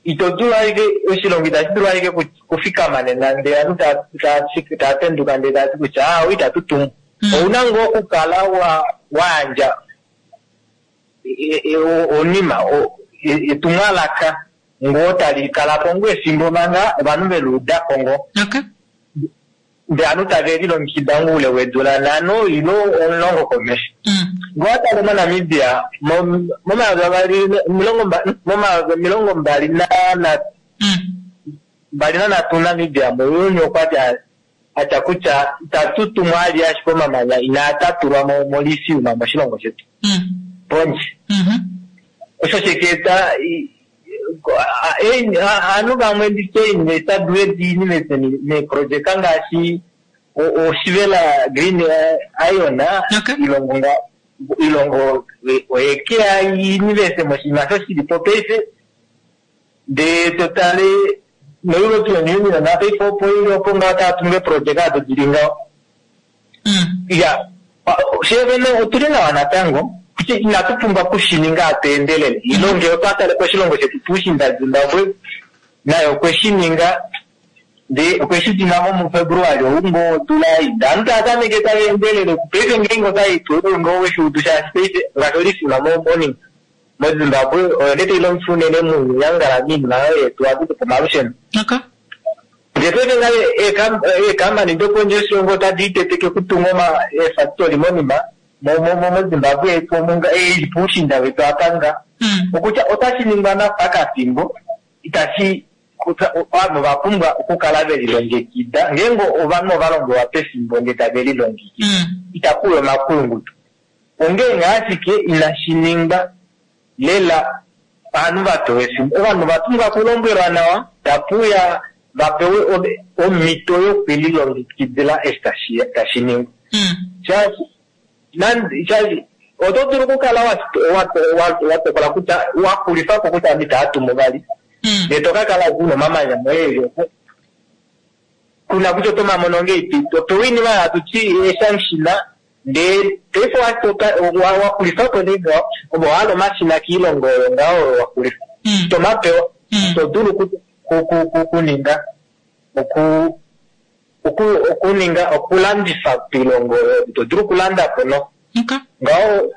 F: Ito dulu ashike, oshilongo itashi dulu ashike okufikama nena ndele ovanhu tava penduka ndele tava ti kutya aawe itatu tumu. Ou na ngoo okukala wa yandja onima, etumwalaka ngoo tali kala po ngoo efimbo manga ovanhu ve li uda ko ngoo. Ndele ovanhu tave lilongekida oule weedula nhano ile 10 komesho. Ngee owa tale moNamibia momayovi omilongo mbali nanhatu Namibia muuyuni okwa li a tya kutya itatu tumwa ali ashike omamanya inaa tatulwa molithium moshilongo shetu pondje. Osho she ka eta ovanhu vamwe nditye investor duwe di investe meeprojeka ngaashi Oshivela Green Iron ilongo nga ilongo oye keya investe moshinima osho shili po paife ndee to tale noEuropean Union paife opo ili opo ngaho tava tungu eeprojeka odo dili ngaho. Ya, fye vene otuli nawa natango, kutya inatu pumbwa okushininga hatu endelele. Ile ngee otwa tale koshilongo shetu puushinda Zimbabwe naye okwe shi ninga ndee okwe shi ninga mo muFebruali ou ngoo wodula ei. Ndee ovanhu tava tameke tava endelele paife ngeenge otai tu ngoo weshi udu shaashi paife ngaashi olithium monima moZimbabwe oyo nee tai longifwa unene mounyuni angala moinima oyo yetu hatu ti omalusheno. Ndee paife ngaha eekampani dopondje yoshilongo otadi liteteke okutunga eefactory monima moZimbabwe yetu omu ei ili poushinda wetu apa nga. Okutya otashi ningwa napakafimbo itashi ovanhu ova pumbwa okukala ve lilongekida. Ngeenge ovanhu ova lombwelwa pefimbo ndee tave lilongekida itaku uya omakuyunguto. Ongeenge ashike inashi ningwa lela ovanhu va pewa efimbo. Ovanhu ova pumbwa okulombwelwa nawa tapuuya va pewe omhito yokulilongekidila eshi tashi ningwa. Shaashi shaashi oto dulu okukala wa tokola kutya wa xulifa po kutya ame itava tumu vali ndee to ka kala una omamanya moye eli opo kuna kutya oto mamono ngeipi. Topewa oinima oyo hatu ti eesanction ndee paife wa xulifa po nee ove owa hala omashina koilongo oyo ngaho oyo wa xulifa ito mapewa. Ito dulu okuninga okuninga okulandifa koilongo oyo ito dulu okulanda po no. Ngaho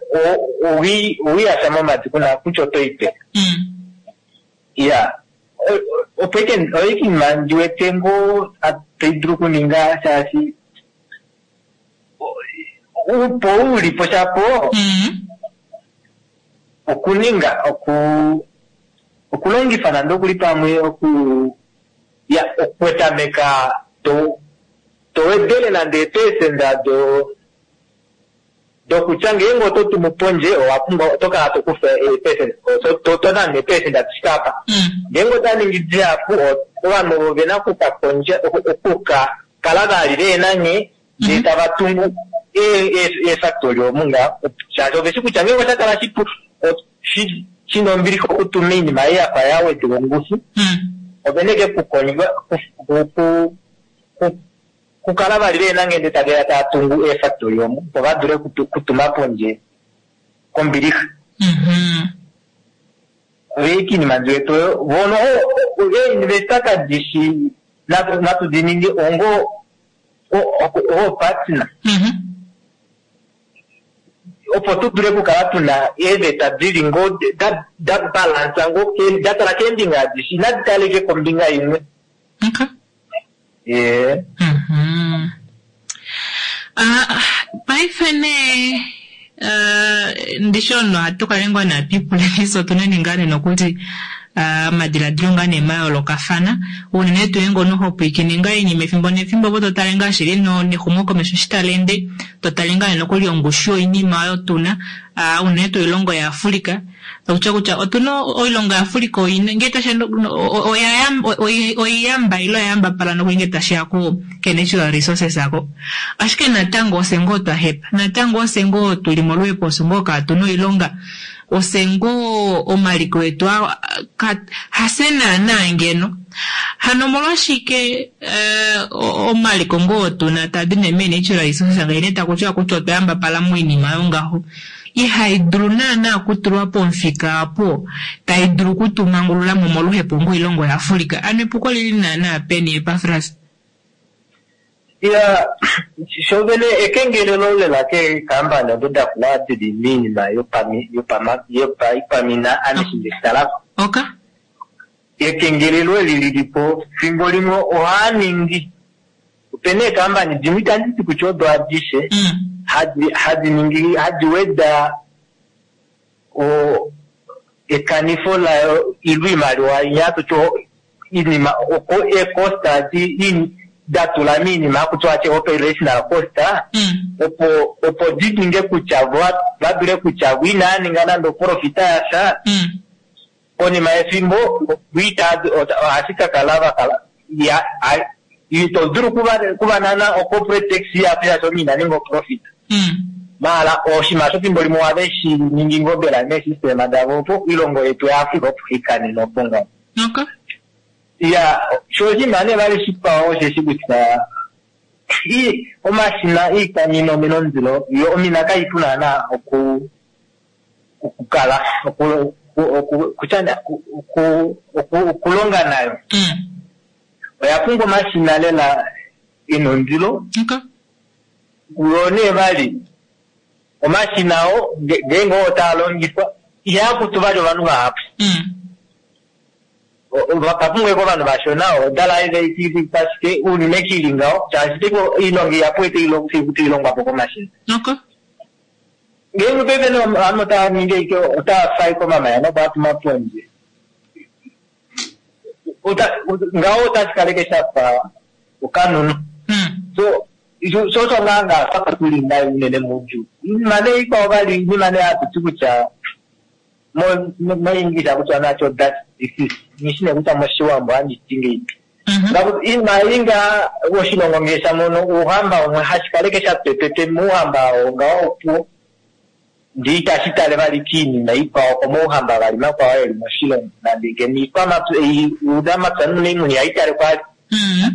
F: owiyasha momadi kuna kutya oto ipe. Ya, opo oyo inima ndi wete ngoo tai dulu okuninga shaashi upo ulipo shapo okuninga okulongifa nande okuli pamwe oku ya okutameka to wedele nande eepesenda dokutya ngeenge oto tumu pondje owa pumbwa oto kala to kufa eepesenda to nane eepesenda difike apa. Ngeenge ota ningi dihapu ovanhu ovo vena okuka pondje okuka kala vali vehena nghee ndee tava tungu. Eefactory omu ngaa, shaashi ove shi kutya ngeenge osha kala shipu shina ombilixa okutuma oinima ei yafa ya wedelwa ongushu, ove na ashike okukondjwa okukala vali vehena nghende tave ya tava tungu eefactory omu opo va dule okutuma pondje kombilixa. Oyeike iinima mbi wetu oyo vono ee-investor kadishi natu di ninge ongo oopartner opo tu dule okukala tu na eeveta di li ngoo da balansa ngoo da tala keembinga adishe inadi tala ashike kombinga imwe. Ee.
A: Paife nee ndishi omunhu ohatu kale ngoo nee hatu ipuleni fye otu neni ngaa nee nokuli omadiladilo ngaa nee mayoolokafana unene tuu ngeenge omunhu ho pwiikine ngaa oinima efimbo nefimbo ove to tale ngaa shili nexumokomesho eshi tali ende to tale ngaa nee nokuli ongushu yoinima oyo tuna unene tuu oilongo yaAfrica Okutya kutya otuna oilongo yaAfrica oina ngee tashi oiyamba ile oya yambapala nokuli ngee tashi ya ko ke natural resources ako. Ashike natango ofye ngoo twa hepa, natango ofye ngoo tuli moluhepo, ofye ngoo kaatuna oilonga, ofye ngoo omaliko etu hafye naana ngeno. Hano omolwashike omaliko ngoo tuna tadi nee mee natural resources ngee nee taku tiwa kutya otwa yambapala moinima yongaho. ihai dulu naana okutulwa pomufika opo tai dulu oku tu mangulula mo moluhepo ongoilongo yaAfrica. Ano epuko olili naana peni Epafras?
F: Iya, sho vene ekengelelo lela keekampani odo da kula di li moinima yopaikwamina ame eshi nde shi tala ko.
A: Okay.
F: Ekengelelo eli li li po fimbo limwe ohaa ningi Ope na eekampani dimwe, itandi ti kutya odo adishe, hadi, hadi ningi, hadi weda o, ekanifo layo ile oimaliwa inya hatu ti oinima, oko eecost adi i, da tula moinima haku tiwa ashike operational cost, opo, opo di ninge kutya vo va dule kutya vo inava ninga nande oprofita yasha, Konima yefimbo, ohashi ka kala va kala ya ito dulu kuva nana o corporate tax ihapu shaashi omunhu ina ninga oprofit. Maala oshinima osho fimbo limwe ohave shi ningi ngoo mbela meesystem davo opo oilongo yetu yaAfrica opo i kanene opo ngaho. Iya, sho oshinima nee vali shikwao osheshi kutya omashina iikwamina omina omundilo yo omina kaipu naana oku okukala kutya okulonga nayo oya pumbwa omashina lela e na ondilo. Yo nee vali omashina oo ngeenge oo taa longifwa ihaa kutu vali ovanhu vahapu. Pa pumbwa ashike ovanhu vashona odala ashike unene shili ngaho shaashi paife oilonga ihapu otai longwa po komashina. Ngeenge paife nee ovanhu otava ningi ashike otava fa ashike omamanya noku a tuma pondje, ngaho otashi kaleke sha fa okanunu. So sho osho ngaa ngaa twafa tuli nayo unene moudjuu. Oinima nee ikwao vali oinima nee hatu ti kutya moEnglish haku tiwa nee o-Dutch disease, nghi shi nee kutya mOshiwambo ohandi shi ti ngahelipi. Oinima ei ngaa oshilongo ngee sha mono ouhamba umwe hashi kaleke sha pepepe mouhamba oo ngaho opuwo ndee itashi tale vali kiinima ikwao komauhamba vali makwao eli moshilongo nande ngeno iikwamapya ei uunamapya nuuniimuna ihai talekwa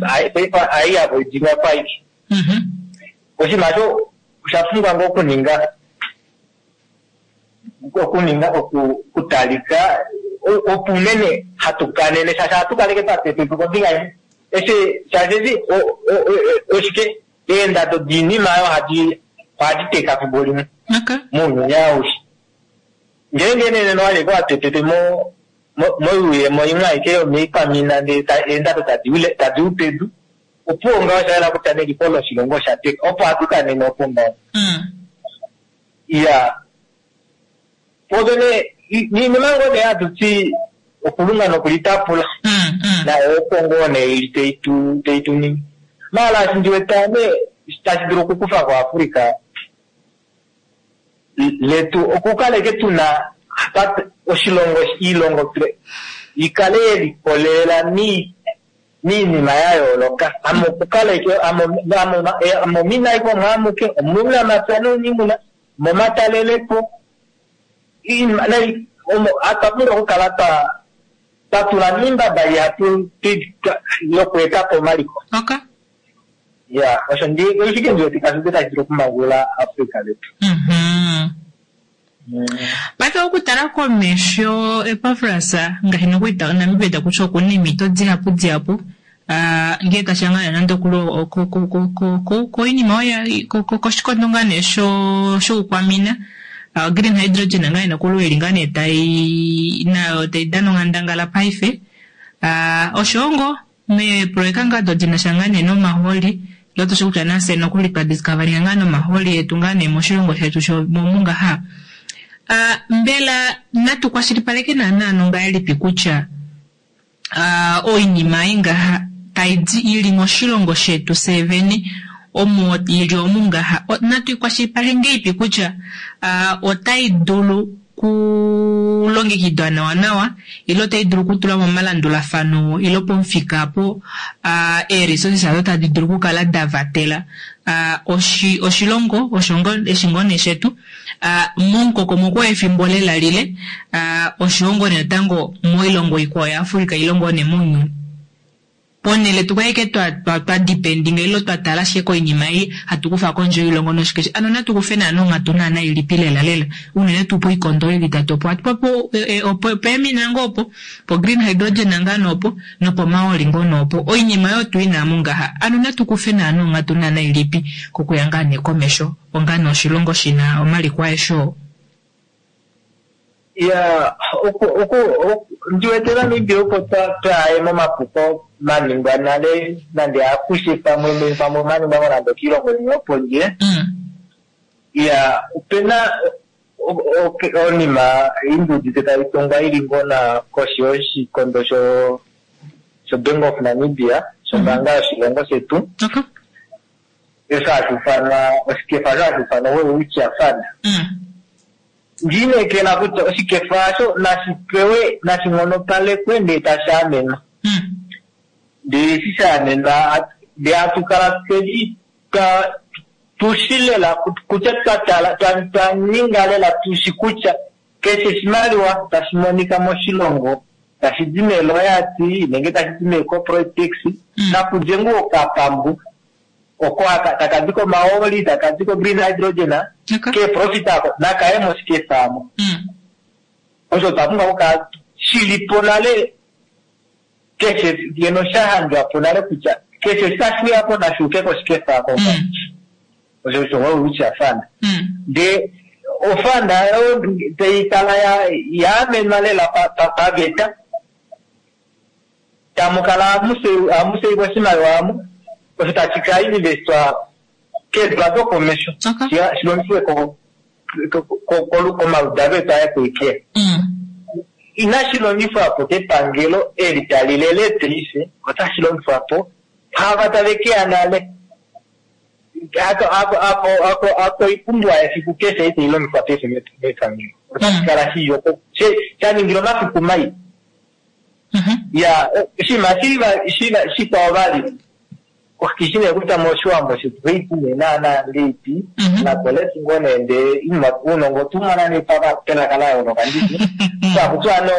F: vali paife ohai avoidingwa po aike. Oshinima osho osha pumbwa ngoo okuninga okuninga okutalika opo unene hatu kanene shaashi ohatu kaleke twa pepepe kombinga imwe eshi shaashi eshi oshike eendado diinima oyo ohadi ohadi teka fimbo limwe mounyuni aushe ngeenge nee nena owaleke wa pepepe mo moyuuyemo imwe aike yomoikwamina ndee eendado tadi wile tadi u pedu opuwo ngaho osha yela kutya neliko loshilongo osha teka opo hatu kanene opo ngaho. Iya, pwovene niinima ngoo nee hatu ti okulunga nokulitapula nayo opo ngoo nee ili tai tai tu ningi. Maala eshi ndi wete ame tashi dulu okukufa ko Africa letu okukaleke tuna oshilongo iilongo i kale ye likolelela mii. Miinima ya yooloka. Hamokukala ashike, hamomiina ashike omo amuke, omuunamapya nuuniimuna, omomatalelepo, iinima nayi omo otwa pumbwa okukala twa twa tula miimbamba ihapu yoku eta po omaliko.
A: Okay.
F: Ya, osho ndi oshike ndi wete tashi tashi dulu okumangulula Africa letu.
A: Paife okutala komesho Epafras ngaashi nokuli Namibia ta kutya okuna eemhito dihapu dihapu ngee tashiya ngaa nee nande koinima oyo koshikondo ngaa nee shoukwamina green hydrogen ngaa nee nokuli eli ngaa nee tai nayo tai dana onghandangala paife oshowo ngoo meeproyeka ngaa do dinasha ngaa nee nomahooli lo tushi kutya nafye nokuli twa discoveringa ngaa nomahooli etu ngaa nee moshilongo shetu momungaha. Mbela natu kwashilipaleke naana nongahelipi kutya oinima ei ngaha taidi ili moshilongo shetu fyee vene omo ili omu ngaha natu ikwashilipaleke ngeipi kutya otai dulu kulongekidwa nawa nawa ile otai dulu okutulwa momalandulafano ile pomufika apo ee-resources ado tadi dulu okukala davatela oshilongo osho eshi ngoo nee shetu momukokomoko wefimbo lela lile oshowo ngoo nee natango moilongo ikwao yaAfrica ile ngoo nee mounyuni. Ponhele tukale ashike twa dependinga ile twa tala ashike koinima ei hatu kufa kondje yoilongo noshikeshe. Ano natu kufe naana onghatu naana ilipi lela lela unene tuu poikondo ili itatu opo. Ohatu popi peemina ngoo opo, po green hydrogen ngaa nee opo nopomahooli ngoo nee opo. Oinima oyo tu ina amu ngaha. Ano natu kufe naana onghatu naana ilipi kokuya ngaa nee komesho onga nee oshilongo shina omaliko aeshe oo.
F: Ya, oku, oku, ndi wete Namibia opo twaye momapuko maningwa nale nande akushe pamwe pamwe maningwa ngo nande okiilongo imwe yopondje. Ya, opena onima ndi udite tai tungwa ili ngoo na koshi yoshikondo sho Bank of Namibia, shombaanga yoshilongo shetu. Osho hashi ifanwa oshikefa osho hashi ifanwa Welwitschia Fund. Ndiinekela kutya oshikefa osho nashi pewe nashi nghonopalekwe ndee tashi amenwa. Ndee eshi sha amenwa ndee hatu kala tweli tushi lela kutya twa tala twa ninga lela tushi kutya keshe oshimaliwa tashi monika moshilongo tashi di meeloyalty nenge tashi di meecorporate tax nakudje ngoo okapambu oko taka di komahooli taka di ko-green hydrogen keeprofit ako nakaye moshikefa amo. Osho otwa pumbwa okukala shilipo nale keshe ngeno sha handjwapo nale kutya keshe eshi tashi uyapo nashi uke koshikefa ako. Osho osho Welwitschia Fund. Ndee ofanda oyo tai kala ya amenwa lela paveta. Tamu kala hamu oshimaliwa amo osho tashi ka investwa keedula dokomesho shilongifwe komaludalo etu aye kuikea. Inashi longifwapo kepangelo eli tali lele paife, otashi longifwapo hava tave keya nale. Ako oipumbiwa yefiku keshe itai longifwa paife mepangelo. Otashi kala sha ningila omafiku mai. Ya, oshinima shikwao vali kishi nee kutya moshiwambo shetu oiti nee naana ngeipi nakoletu ngoo nee ndee uunongo otumona nee pelaka la yooloka nditi takutiwa no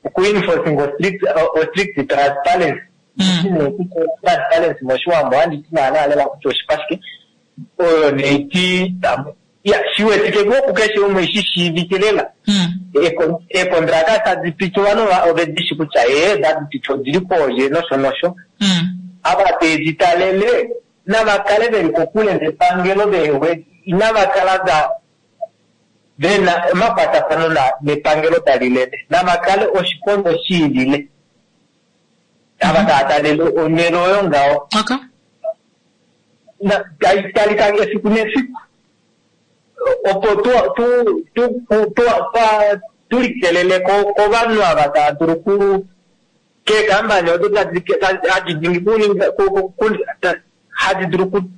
F: oku-enforcing o strict transparency. Ndishi nee kutya transparency moshiwambo ohanditi naana lela kutya oshikwashike oyo nee ti ya shiwetike ngoo kukeshe umwe shi shiivike lela. Eekondraka tadi piti ovanhu ove dishi kutya ee dadi piti odili koolye nosho nosho. Ava tedi talele nava kale veli kokule nepangelo inava kala vena omakwatafano nepangelo tali lele. Nava kale oshikondo shiilile. Ava tava talele onhele oyo ngaho. Talika efiku nefiku. Opo tulikelele kovanhu ava tava dulu ku keekampani odo hadi ningi hadi dulu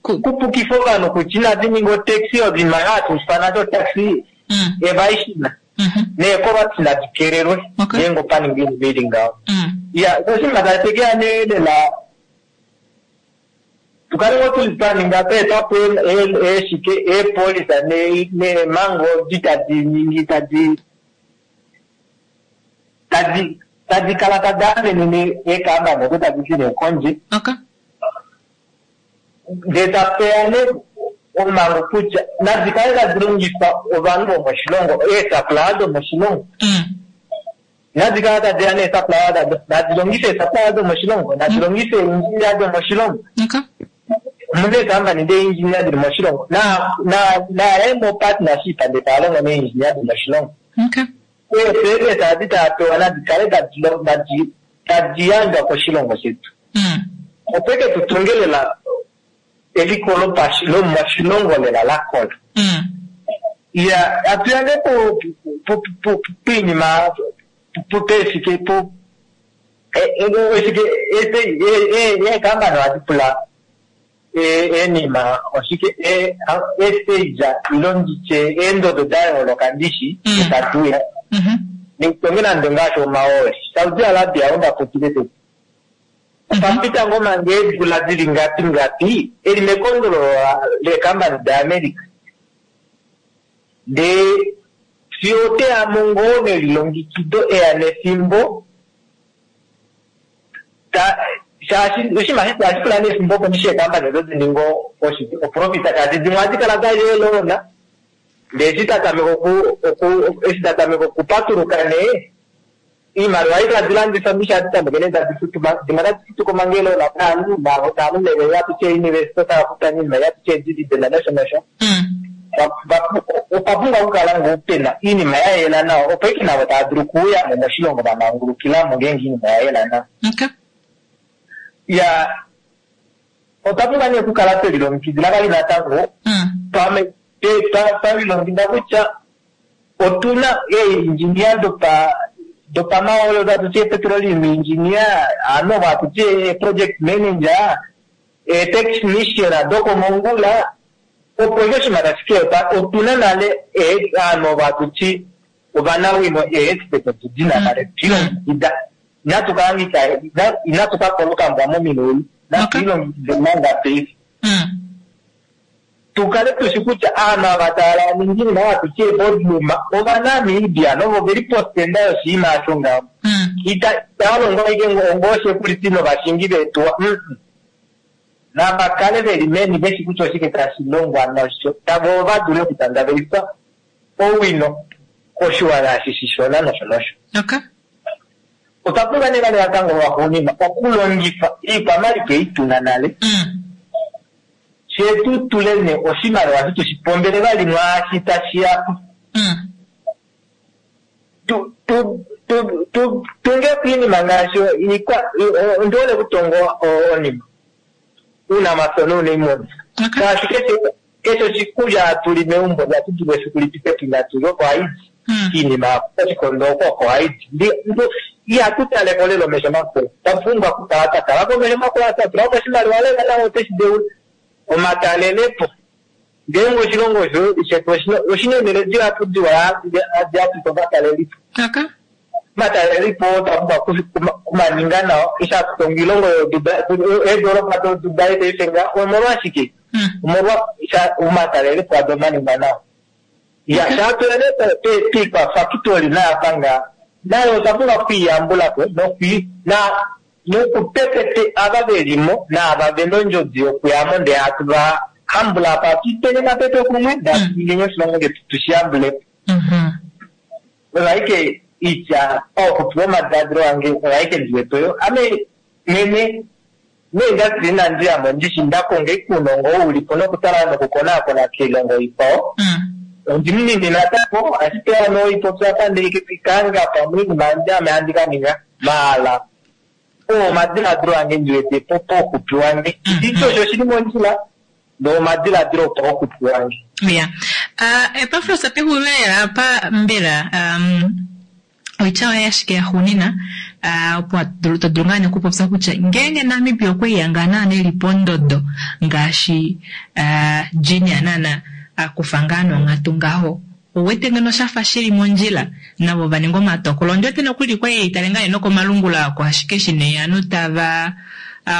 F: kupukifa ovanhu kutya inadi ninga otaxi oinima hatu ifana do taxi evasion. Neekolwati nadi kelelwe ngeenge opa ningwa oinima ili ngaho. Iya, oshinima tashi ke ya nee lela tukale ngoo tuli twa ninga twa eta po eeshike eepolisa neemhango odi tadi ningi tadi tadi tadi kala tadi amenene eekaambani odo tadi di nee kondje. Ndee tapeya nee omhango kutya nadi kale tadi longifa ovanhu vomoshilongo, eesupplier domoshilongo. Inadi kala tadi ya neesupplier dado, nadi longife eesupplier domoshilongo, nadi longife eeindjinia domoshilongo. Omuna eekampani deeindjinia dili moshilongo, na na naya mo partnership ndee tava longo neeindjinia domoshilongo. Eeservice adi tava pewa nadi kale tadi tadi tadi yandjwa koshilongo shetu. Opo eke tu tunge lela eliko lomoshilongo lela lakola. Iya, atu ya nee poinima pefike po eshike eekampani ohadi pula eenima oshike eestage ilo nditye eendodo da yooloka ndishi tadi uya. Naitonge nande ngaashi omahooli. Saudi Arabia onda popile tete. Opa pita ngoo manga eedula dili ngapi ngapi eli mekondololo leekampani daAmerica. Ndee fiyo ote ya mo ngoo nelilongekido eya nefimbo ta shaashi oshinima eshi ohashi pula nee efimbo opo ndishi eekampani odo di ninge oprofit shaashi dimwe ohadi kala da lya eeloona ndee eshi da tameka oku oku eshi da tameka okupatuluka nee Iimaliwa ei tadi landifa ndishi ohadi tameke nee tadi futu dimwe otadi futu ko manga eeloona daanhu naanhu nee hatu ti eeuniversity otava futu oinima ei hatu ti eedividend nosho nosho. Opa pumbwa okukala ngoo pena oinima ya yela nawa opo ashike navo tava dulu okuuya mo moshilongo va mangulukila mo ngeenge oinima oya yela nawa. Iyaa otwa pumbwa nee okukala twe lilongekidila vali natango twa lilongekida kutya Otu na eeindjinia dopa dopamahooli odo hatu ti eepetroleum engineer, ovanhu ovo hatu ti eeproject manager, eetechnician dokomongula, opo eshi oshinima tashi ke uya otu na nale ovanhu ovo hatu ti ovanawino, eeexpert otu di na nale, twe lilongekida. Inatu ka hangika, inatu ka kola okambwa momilaulu, natu lilongekide manga paife. Tu kale tu shi kutya aanhu ava tava ningi iinima hatu ti eeboardroom Ovanamibia novo ve li postenda yoshinima asho ngaho. Ita itava longo ashike ongoosekuriti novashingi veetuwa, mm. Nava kale ve li meni ve shi kutya oshike tashi longwa nosho vo va dule okutandavelifa owino koshiwana eshi shishona nosho nosho. Otwa pumbwa nee vali natango lwaxuuninwa okulongifa oikwamaliko ei tu na nale. Fye tu tule nee oshimaliwa eshi tu shi pombele vali mwaashi tashi ya po. Tu, tu, tu, tu tunge po iinima ngaashi iikwa, ondi hole okutunga onima, uunamapya nuuniimuna. Shaashi keshe, keshe oshikulya hatu li meumbo ihatu dulu efiku li pite po inatu lya, oko hayi di. Iinima koshikondo oko oko hayi di. Ihatu tale ko lela omesho makulu. Otwa pumbwa okukala twa tala ko omesho makulu, twa tula ko oshimaliwa lela nawa oteshi deula. Omatalelepo. Ngeenge oshilongo shetu oshina eenhele dihapu diwa hadi hafifa ovatalelipo. Omatalelipo oo otwa pumbwa okumaninga nawa eshi hatu tongo oilongo eedolopa doDubai paife ngaha omolwashike? Omolwa omatalelepo ado maningwa nawa. Ya, shaa tuya nee piikwafakitoli naapa ngaa, nayo otwa pumbwa okwiiyambula po nokwi na nokupepete ava ve li mo naava ve na ondjodi yokuya mo ndee hatu va hambula po, hatu itenge omapepe kumwe ndee hatu ningeni oshilongo shetu tu shi yambule po. Oyo aike oitya pauxupi womadiladilo ange, oyo aike ndi wete oyo. Ame mwene meendastri inandi ya mo ndishi nda konga ashike ounongo ou u li po nokutala nokukonaakona koilongo ikwao. Ondi munini natango, ashike ame oipopya apa ndikanga pamwe oinima yandje ame handi ka ninga. Maala oo omadiladilo ange ndi wete po pauxupi wange. Itindi osho oshi li mondjila, ndee omadiladilo opauxupi wange.
A: Ya. Epafras pexulilo lela apa mbela um, Oitya yoye ashike yaxuunina, opo to dulu ngaa nee okupopya kutya ngeenge Namibia okwe lihanga naana eli pondodo ngaashi Guinea naana a kufa ngaa nee onghatu ngaho. Ouwete ngeno shafa shili mondjila navo va ninga omatokolo. Ondi wete nokuli kwali tale ngaa nee nokomalungula oko ashike eshi nee ovanhu tava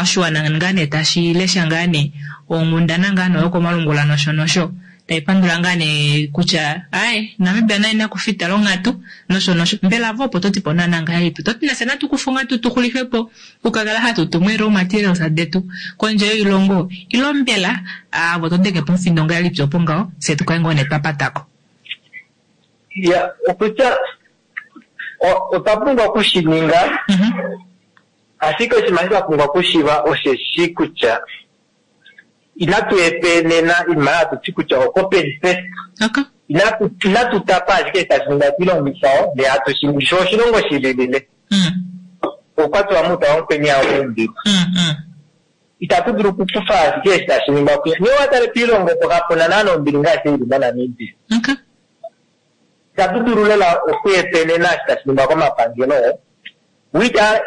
A: oshiwana ngaa nee tashi lesha ngaa nee onghundana ngaa nee yokomalungula nosho nosho tai pandula ngaa nee kutya aaye Namibia naye nakufe itale onghatu nosho nosho. Mbela vo opo toti po naana ngahelipi? Toti nafye natu kufe onghatu tu xulife po okukala hatu tumu ee raw materials detu kondje yoilongo ilo mbela avo to denge pomufindo ngahelipi opo ngaho fye tu kale ngoo nee twa patako?
F: Ya, okutya otwa pumbwa oku shi ninga, ashike oshinima eshi twa pumbwa okushiva osheshi kutya inatu epenena oinima oyo hatu ti kutya o copy and paste. Inatu, inatu tapa ashike eshi tashi ningwa kiilongo ikwao ndee hatu shi ningi, sho oshilongo shi lilile. Okwa tula muuta wamukweni aumbila. Itatu dulu okukufa ashike eshi tashi ningwa kwinya. Nghee wa tale piilongo opo kapu na naana ombili ngaashi ei ili moNamibia. Itatu dulu lela okuepenena eshi tashi ningwa komapangelo oo. Ita,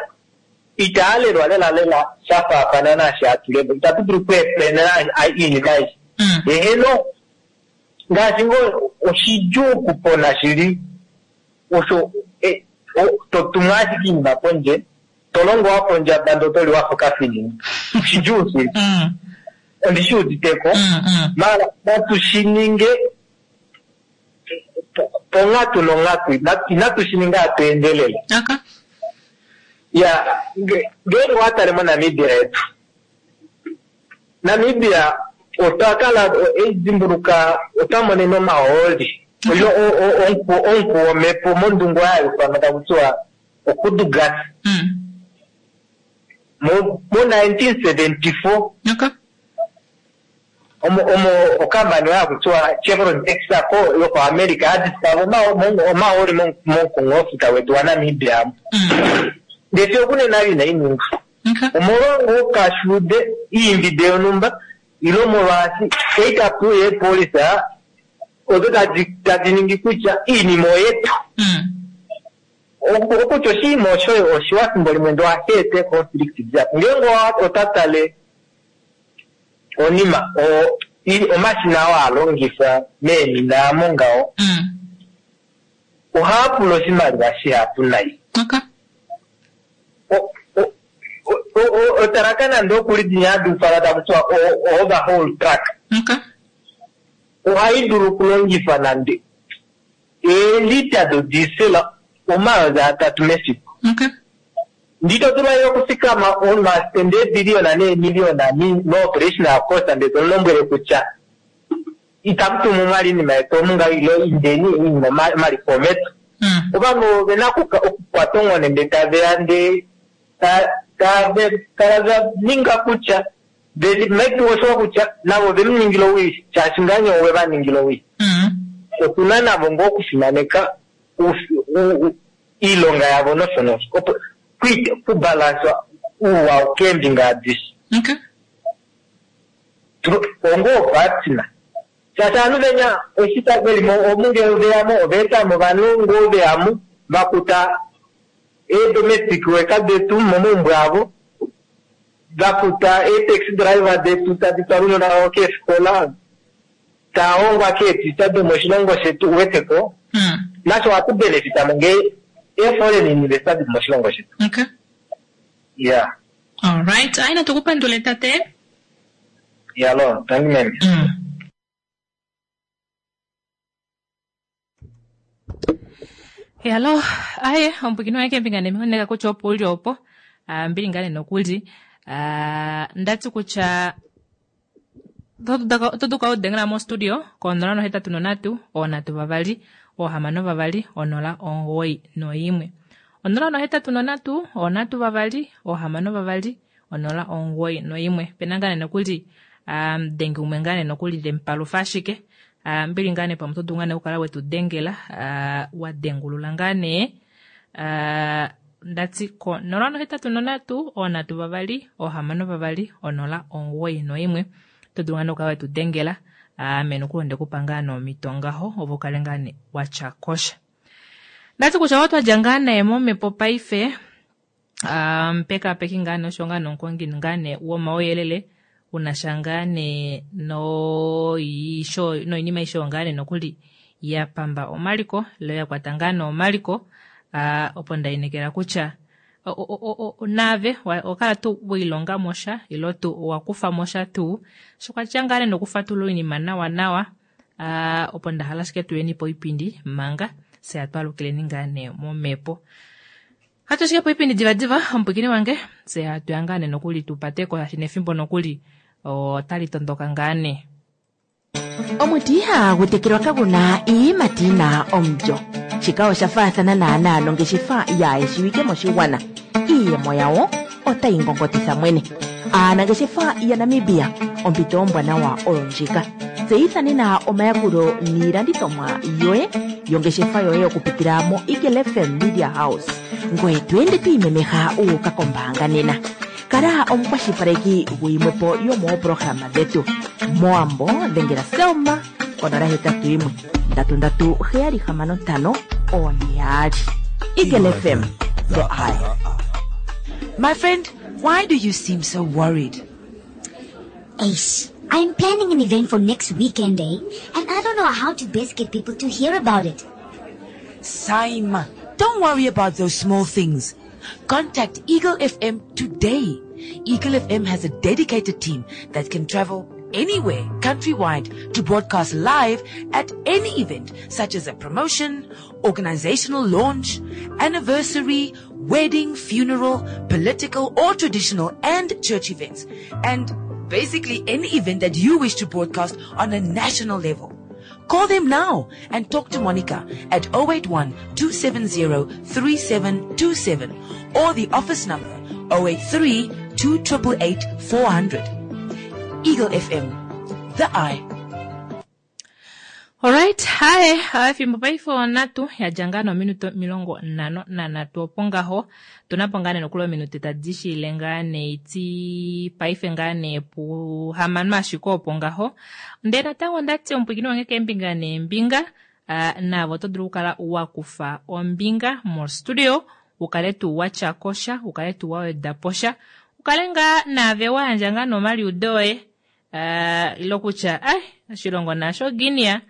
F: itaa lelwa lela lela sha faafana naashi hatu lelwa. Itatu dulu okuepenena oinima aishe. Eheno, ngaashi ngoo oshidjuu okupona shili osho to tumu ashike oinima pondje, to longo wa fa ondjaba ndee oto li wa fa okafinini. Oshidjuu shili. Ondi shi udite ko. Maala natu shi ninge ponghatu nonghatu. Inatu shi ninga hatu endelele. Ya, ngeenge owa tale moNamibia yetu, Namibia otwa kala dimbuluka otwa monene omahooli ilo omuku womhepo mondungu oyo hai ufanwa taku tiwa oKudu gas mo 1974 omo omo okampani oyo haku tiwa Chevron Texaco yokoAmerica ya discover omahooli momukunghulofuta wetu waNamibia. Ndele fiyo okunena inai ningwa. Omolwa ngoo kashuude iimbide yonhumba ile molwaashi KKP yeepolisa odo tadi ningi kutya oinima oyetu. Okutya oshinima oshoye oshiwa fimbo limwe ndee ohashi eta eeconflict dihapu. Ngeenge ota tale onima, omashina oo haa longifwa meemina amo ngaho, ohaa pula oshimaliwa shihapu nai. Otraka nande okuli dinya hadi ufanwa taku tiwa o-overhaul truck, ohai dulu okulongifa nande eelita dodiesel 300 mefiku. Ndee ito dulu yo okufikama omunhu a spende eebiliyona neemiliyona meoperational cost ndee to mu lombwele kutya Itamu tumu mwali oinima yetu omu ngaho ile indeni oinima omaliko ometu. Ovanhu ove na okukwata onghone ndee tave ya ndee tave kala va ninga kutya ve make sure kutya navo ove mu ningila owii shaashi ngaa nye owe va ningila owii. Otu na navo ngoo okufimaneka oilonga yavo nosho nosho opo ku balanswa ouwa keembinga adishe. Ongo opartner. Shaashi ovanhu venya eshi veli mo omu ngee veya mo ova eta mo ovanhu ngoo veya mo va kuta ee domestic worker detu momaumbo avo, va kuta ee taxi driver detu tadi twala ounona vavo keefikola, taa hongwa keeteacher domoshilongo shetu, uweteko? Nasho ohatu benefita mo ngee ee foreign investor dili moshilongo shetu. Yeah.
A: Alright, ayi natu ku pandule tate.
F: Yalo, thank you meme.
A: Yalo, aye omupwikini wange kembinga nemihoneka kutya opo uli opo. Ah, mbili ngaa nee nokuli. Ah, ndati kutya oto duka udengela mo studio ko 083 3 6 2 0 91. 083 3 6 2 091. Pena ngaa nee nokuli um, denge umwe ngaa nee nokuli lemupalufa ashike uh, mbili ngaa nee pamwe oto dulu ngaa nee okukala wetu dengela uh, wa dengulula ngaa nee uh, ndati ko 083 3 6 2 091 oto dulu ngaa nee okukala wetu dengela ame nokuli onde kupa ngaa nee omhito ngaho opo ukale ngaa nee watya kosha. Ndati kutya otwa dja ngaa naye momhepo paife mpekapeki ngaa nee osho ngaa nomukongi ngaa nee womauyelele una sha ngaa nee noinima aishe oyo ngaa nee nokuli ya pamba omaliko ile ya kwata ngaa nee omaliko opo nda inekela kutya naave owa kala tuu wa ilonga mo sha ile tuu owa kufa mo sha tuu shokwatya ngaa nee nokufatulula oinima nawa nawa opo nda hala ashike tuyeni poipindi manga fye hatu alukileni ngaa nee momhepo. Hatu ashike poipindi divadiva omupwiikini wange fye hatu ya ngaa nee nokuli tu pateko shaashi nefimbo nokuli otali tondoka ngaa nee.
B: Omuti ihaagu tekelwa kagu na iiyimati yi na omulyo. Shika osha faathana naanaa nongeshefa yaayeshiwike moshigwana. Iiyemo yawo otayi ngongotitha mwene. Aanangeshefa yaNamibia, ompito ombwanawa oyo ndjika. Tseyitha nena omayakulo niilandithomwa yoye yongeshefa yoye okupitila moEagle FM Media House. Ngoye to ende to imemeha wu uka kombaanga nena. Kala omukwashilipaleki guyimwe po yomooprograma dhetu. Mowambo dhengela Selma konola 81 3 3 7 6 5 4 2. Eagle FM, the eye.
C: My friend, why do you seem so worried?
D: Ace, I'm planning an event for next weekend, eh? And I don't know how to best get people to hear about it.
C: Saima, don't worry about those small things. Contact Eagle FM today. Eagle FM has a dedicated team that can travel anywhere countrywide to broadcast live at any event such as a promotion, organizational launch, anniversary, wedding, funeral, political or traditional and church events. And basically any event that you wish to broadcast on a national level. Call them now and talk to Monica at 081 270 3727 or the office number 083 288 400. Eagle FM, the eye.
A: Alright, hi, efimbo paife onhatu yadja ngaa nominute 53 opo ngaho. Tuna po ngaa nee nokuli ominute tadi shiile ngaa nee ti paife ngaa nee puhamano ashike opo ngaho. Ndele natango ondati omupwiikini wange keembinga neembinga, naave oto dulu okukala wa kufa ombinga mostudio, u kale tuu wa tya ko sha, u kale tuu wa weda po sha, u kale ngaa naave wa yandja ngaa nee omaliudo oye, ile kutya ai oshilongo nasho Guinea,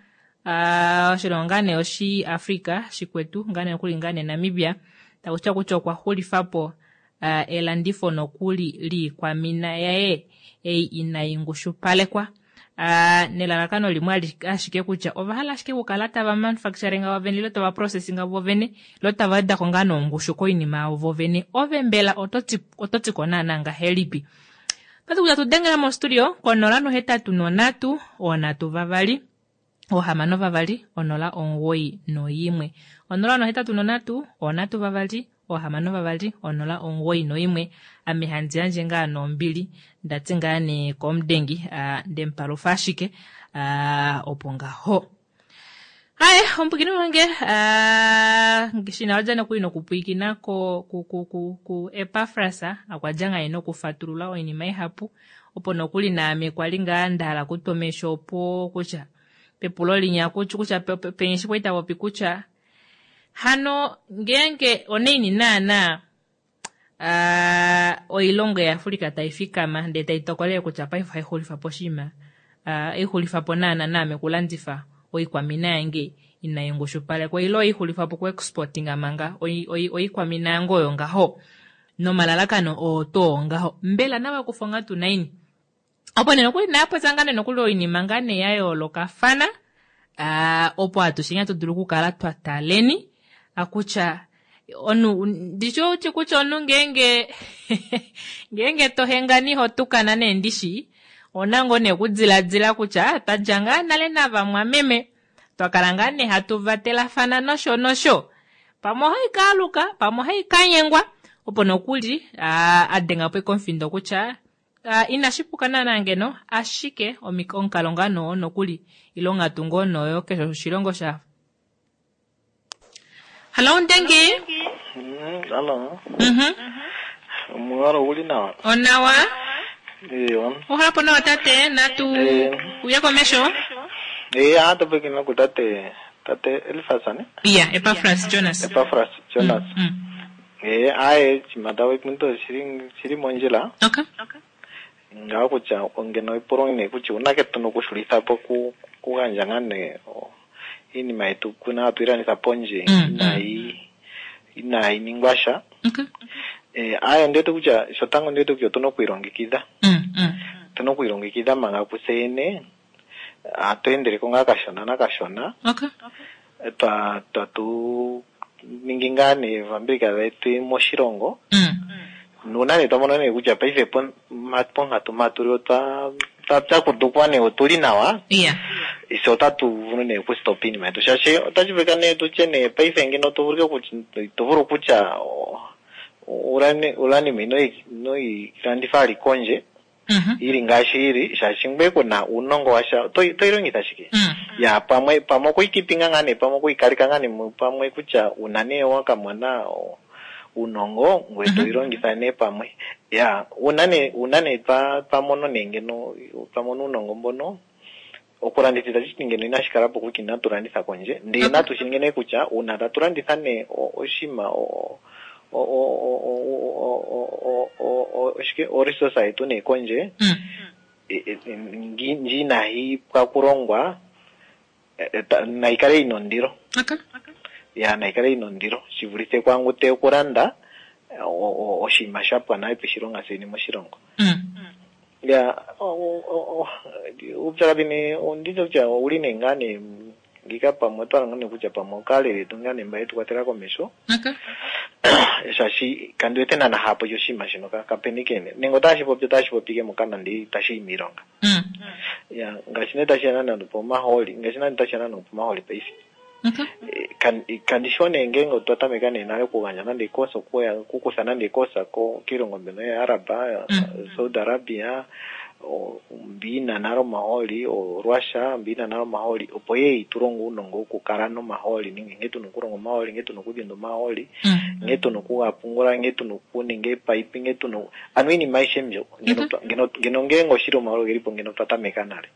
A: oshilongo ngaa nee oshi Africa shikwetu ngaa nee nokuli ngaa nee Namibia, taku tya kutya okwa xulifa po elandifo nokuli liikwamina yaye ei inai ngushupalekwa. Nelalakano limwe ashike kutya ova hala ashike okukala tava manufacturing vo vene ile tava processing vo vene ile tava weda ko ngaa nongushu koinima yavo vo vene. Ove mbela oto ti ko naana ngahelipi? Otatu kutya tudengela mostudio konola nohetatu nonhatu onhatu vavali ohamano vavali onola omugoyi noyimwe onola nohetatu nonhatu onhatu vavali ohamano vavali onola omugoyi noimwe. Ame handi yandje ngaa nombili ndati ngaa nee komudengi ndemupalufa ashike opo ngaho. Haye omupwiikini wange shina wadja nokuli nokupwiikina ku Epafras okwa dja ngaa nokufatulula oinima ihapu opo nokuli naame kwali ngaa ndahala kutwa omesho opo kutya pepulo linya kutya penye shi kwali tapopi kutya hano ngeenge onaini naana oilongo yaAfrika tai fikama ndee tai tokolele kutya paife ohai xulifa po oshinima ixulifa po naana naame kulandifa oikwamina yange inai ngushupalekwa ile oixulifa po kuexportinga manga oikwamina yange oyo ngaho nomalalakano oo too ngaho mbela nava kufa onghatu naini opo nee nokuli naapotya ngaa nee nokuli oinima ngaa nee ya yoolokafana opo atusheni hatu dulu okukala twa taleni akutya onu ndishi outi kutya omunhu ngeenge ngeenge to hengana iho tukana nee ndishi ona ngoo nee okudiladila kutya twadja ngaa nale navamwameme twakala ngaa nee hatu vatelafana nosho nosho pamwe ohai kaaluka pamwe ohai kanyengwa opo nokuli adenga po komufindo kutya inashi puka naana ngeno ashike omukalo ngaa noo nokuli ile onghatu ngoo noyo keshe oshilongo sha. Hello Ndengi.
I: Hello. Omungalo uli nawa.
A: Onawa.
I: Iyo.
A: Ohapo nawa tate natu uya komesho.
I: Hata pekina ku tate tate Elifas ne?
A: Yeah, Epafras Jonas.
I: Epafras Jonas. Aye chimadawe kunto shiri mondjila.
A: Okay.
I: Nga kutya ongeno ipulo ne kutya unake tuna okuxulitha po kugandja ngaa nee. iinima yetu kuna hatu yi landitha pondje inaayi inaayi ningwa sha. Eh, aye ondi wete kutya shotango ondi wete kutya otuna okwiilongekidha. Otuna okwiilongekidha manga kutse yene hatu endeleko ngaa kashona nakashona. Twa twatu ningi ngaa nee oofambulika dhetu moshilongo. Nuuna nee twa mono nee kutya paife ponkatu mpa tuli otwa twa pyakudhukwa nee otuli nawa. Ise otatu vulu nee okustopa iinima yetu shaashi otashi vulika nee tutye nee paife ngeno to vulu ito vulu kutya uranium inoyi landitha ali kondje yili ngaashi yili shaashi ngweye kuna uunongo washa otoyi longitha shike? Ya pamwe pamwe okuyi kipinga ngaa nee pamwe okuyi kaleka ngaa nee pamwe kutya uuna nee waka mona uunongo ngoye toyi longitha nee pamwe. Ya uuna nee uuna nee twa twa mono nee ngeno twa mono uunongo mbono okulanditha itashi ti ngeno inashi kala po kutya inatu landitha kondje ndele natu shi ninge nee kutya uuna tatu landitha nee oshinima oshike oresource yetu nee kondje ndji inayi pwa kulongwa nayi kale yina ondilo. Ya nayi kale yina ondilo shi vulithe kwaangu te okulanda oshinima sha pwa nale tweshi longa tseyene moshilongo. Ya uupyakadhi nee onditye kutya owuli nee ngaa nee ngiika pamwe otwa hala ngaa nee kutya pamwe okaaleli yetu ngaa nee mba yetu kwatela komeho shaashi kandi wete naana haya popi oshinima shino kapeni kene nenge otaye shi popi otaye shi popi ike mokana ndele itashi yi miilonga. Ya ngaashi nee tashiya naana nopomahooli ngaashi naana tashiya naana nopomahooli paife. Kandi sure nee ngeenge otwa tameka nee nale okugandja nande ekosa okuya okukutha nande ekosa kiilongo mbyono yaArab, Saudi Arabia, mbi yina nale omahooli, oRussia mbi yina nale omahooli, opo yeye yi tu longe uunongo wokukala nomahooli nenge nkene tuna okulonga omahooli, nkene tuna okudhinda omahooli, nkene tuna okuga pungula, nkene tuna okuninga eepaipi, nkene tuna ano iinima ayihe mbyo ngeno ngeno ngeenge oshili omahooli ogeli po ngeno otwa tameka nale.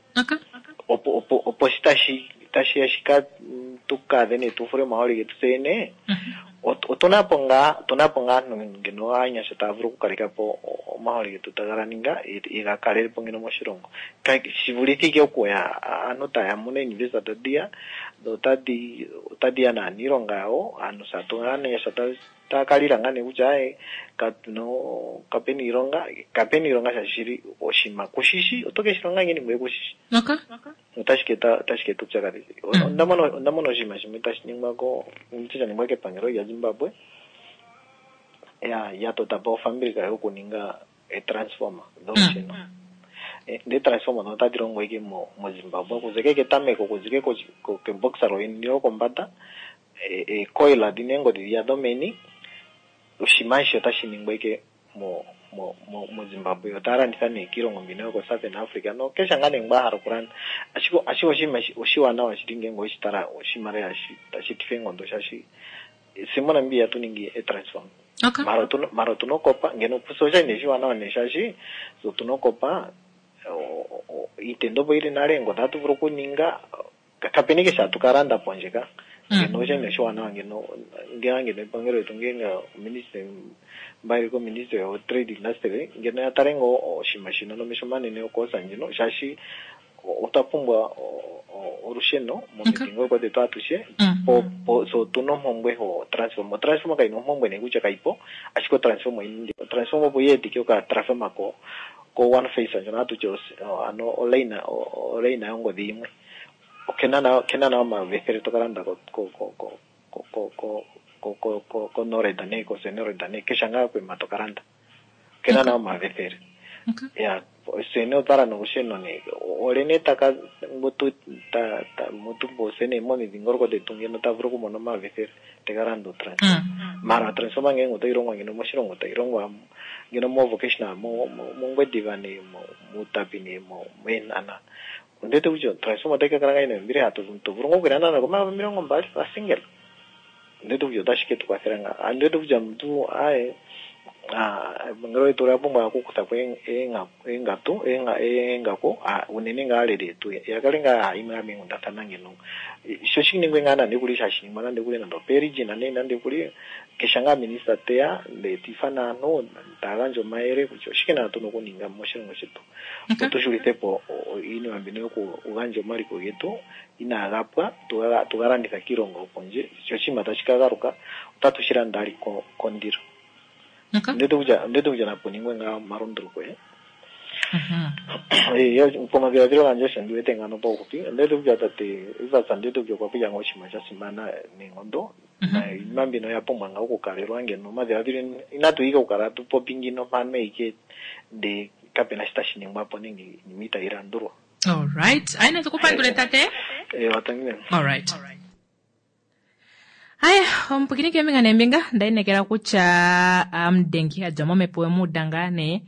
I: Opo opo opo shi tashi tashi ya shika tu kadhe nee tu fule omahooli getu tse yene otuna po ngaa otuna po ngaa aantu ngeno aanyasha taya vulu okukaleka po omahooli getu taga laninga yega kalele po ngeno moshilongo shi vulithe ike okuya aantu taya mono ouniversity tadhi ya dho otadhi otadhi ya naaniilonga yawo aantu sha aanyasha Taya ka lila ngaa nee kutya aaye katuno kapena iilonga, kapena iilonga shaashi shili oshinima kushishi, oto ke shi longa ngiini ngoye kushishi. Otashi ka eta otashi ka eta uupyakadhi. Onda mona onda mona oshinima shimwe tashi ningwa ko sha ningwa kepangelo lyaZimbabwe ya ya tota po ofambilika yokuninga eetransformer dholusheno. Ndele eetransformer ndhono otadhi longo ike mo moZimbabwe okuza ike ketameko okuza ike keboxa loyene lokombanda eecoil dhino eengodhi dhiya dhomeni oshinima ashihe otashi ningwa ike mo mo mo moZimbabwe otaya landitha nee kiilongo mbino yoko Southern Africa no keshe ngaa nee ngu a hala okulanda ashike ashike oshinima oshiwanawa shili ngeenge oweshi tala oshinima lela tashi etifa eengondo shaashi fye moNamibia ihatu ningi eetransform maala otuna maala otuna okopa ngeno kufye oshali nee shiwanawa nee shaashi fye otuna okopa iitenda opo ili nale eengodhi ohatu vulu okuninga Kapena ike sha hatu ka landa pondje ka. Ngeno osha li oshiwanawa ngeno ngeno ngeno epangelo letu ngeenge oministry mba yeli koministry yo trade industry ngeno ya tale ngoo oshinima shino nomesho manene okoosa ndjino shaashi otwa pumbwa olusheno momidhingoloko dhetu atushe po po so otuna ompumbwe ho transformer. Otransformer kayina ompumbwe nee kutya kayipo ashike otransformer oyina otransformer opo yi etike okatransformer ko ko one face ndjono hatu ti ano oline oline yongodhi yimwe. Okena nawa okena nawa 100,000 toka landa ko ko ko ko ko ko ko ko ko ko Nored nee ko Cenored nee kesha ngaa kwema toka landa. Okena nawa 100,000. Ya sene otwa landa olusheno nee olye nee taka mutu ta ta mutu mbo sene momidhingoloko dhetu ngeno ta vulu okumona 100,000 teka landa otransformer. Mara otransformer ngenge otayi longwa ngeno moshilongo tayi longwa ngeno mo vocational mo mOngwediva nee mOutapi nee mEenhana Ondi wete kutya otransformer otayi ka kala ngaa yina ombiliha to vulu ngaa okuyi landa nande okomayovi 20 ga single. Ondi wete kutya otashi ke tu kwathela ngaa. Ondi wete kutya omuntu aaye. Epangelo letu ola pumbwa okukutha po eengatu, eengaku, unene ngaa aaleli yetu ya kale ngaa haya yi ngaa meenkundathana ngeno, sho shi ningwe ngaa nande kuli hashi ningwa nande kuli nande opeeregion nande nande kuli kesha ngaa minista teya ndee ta ifana aantu ta gandja omayele kutya oshike naana tuna okuninga moshilongo shetu opo tu shulithe po iinima mbino yokugandja omaliko getu inaaga pwa tuga landitha kiilongo yopondje sho oshinima tashi ka galuka otatu shi landa ali kondilo. Ondiwete kutya ondiwete kutya napu ningwe ngaa omalunduluko eh. Eh, pamadhiladhilo gandje osho ndi wete ngano paufupi. Ondiwete kutya tate Evans ondiwete kutya okwa popya ngaa oshinima sha simana neenkondo. Na iinima mbino oya pumbwa ngaa okukalelwa ngeno omadhiladhilo inatu ika okukala tu popi ngino mpano ike ndee kapena shi tashi ningwa po nenge iinima itayi landulwa.
A: Alright. Ayi natu ku pandule tate.
I: Ewa, tangi meme.
A: Alright. Aye, omupwikini keembinga neembinga nda inekela kutya amudengi a dja momhepo we mu uda ngaa nee.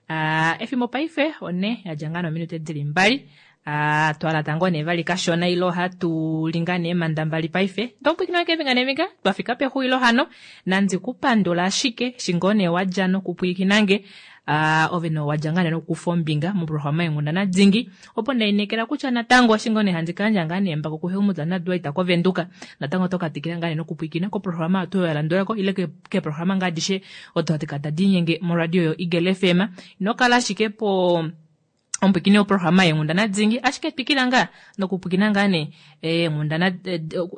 A: Ah, efimbo paife one ya dja ngaa nominute dili mbali. Ah, twala tango nee vali kashona ile ohatu li ngaa nee eemanda mbali paife. Ndee omupwikini wange keembinga neembinga twa fika pexulilo hano. Nandi ku pandula ashike eshi ngoo nee wa dja nokupwilikina nge. Ah, ove no wadja ngaa nee nokukufa ombinga moprograma yenghundana dingi. Opo nda inekela kutya natango eshi ngoo nee handi ka yandja ngaa nee embako kuHelmut naDwight koVenduka, natango oto ka twikila ngaa nee nokupwilikina koprograma oyo tuu ya landula ko ile keeprograma ngaa adishe odo hadi kala tadi linyenge moradio yoEagle FM. Ino kala ashike po omupwilikini woprograma yeenghundana dingi, ashike twikila ngaa nokupwilikina ngaa nee eenghundana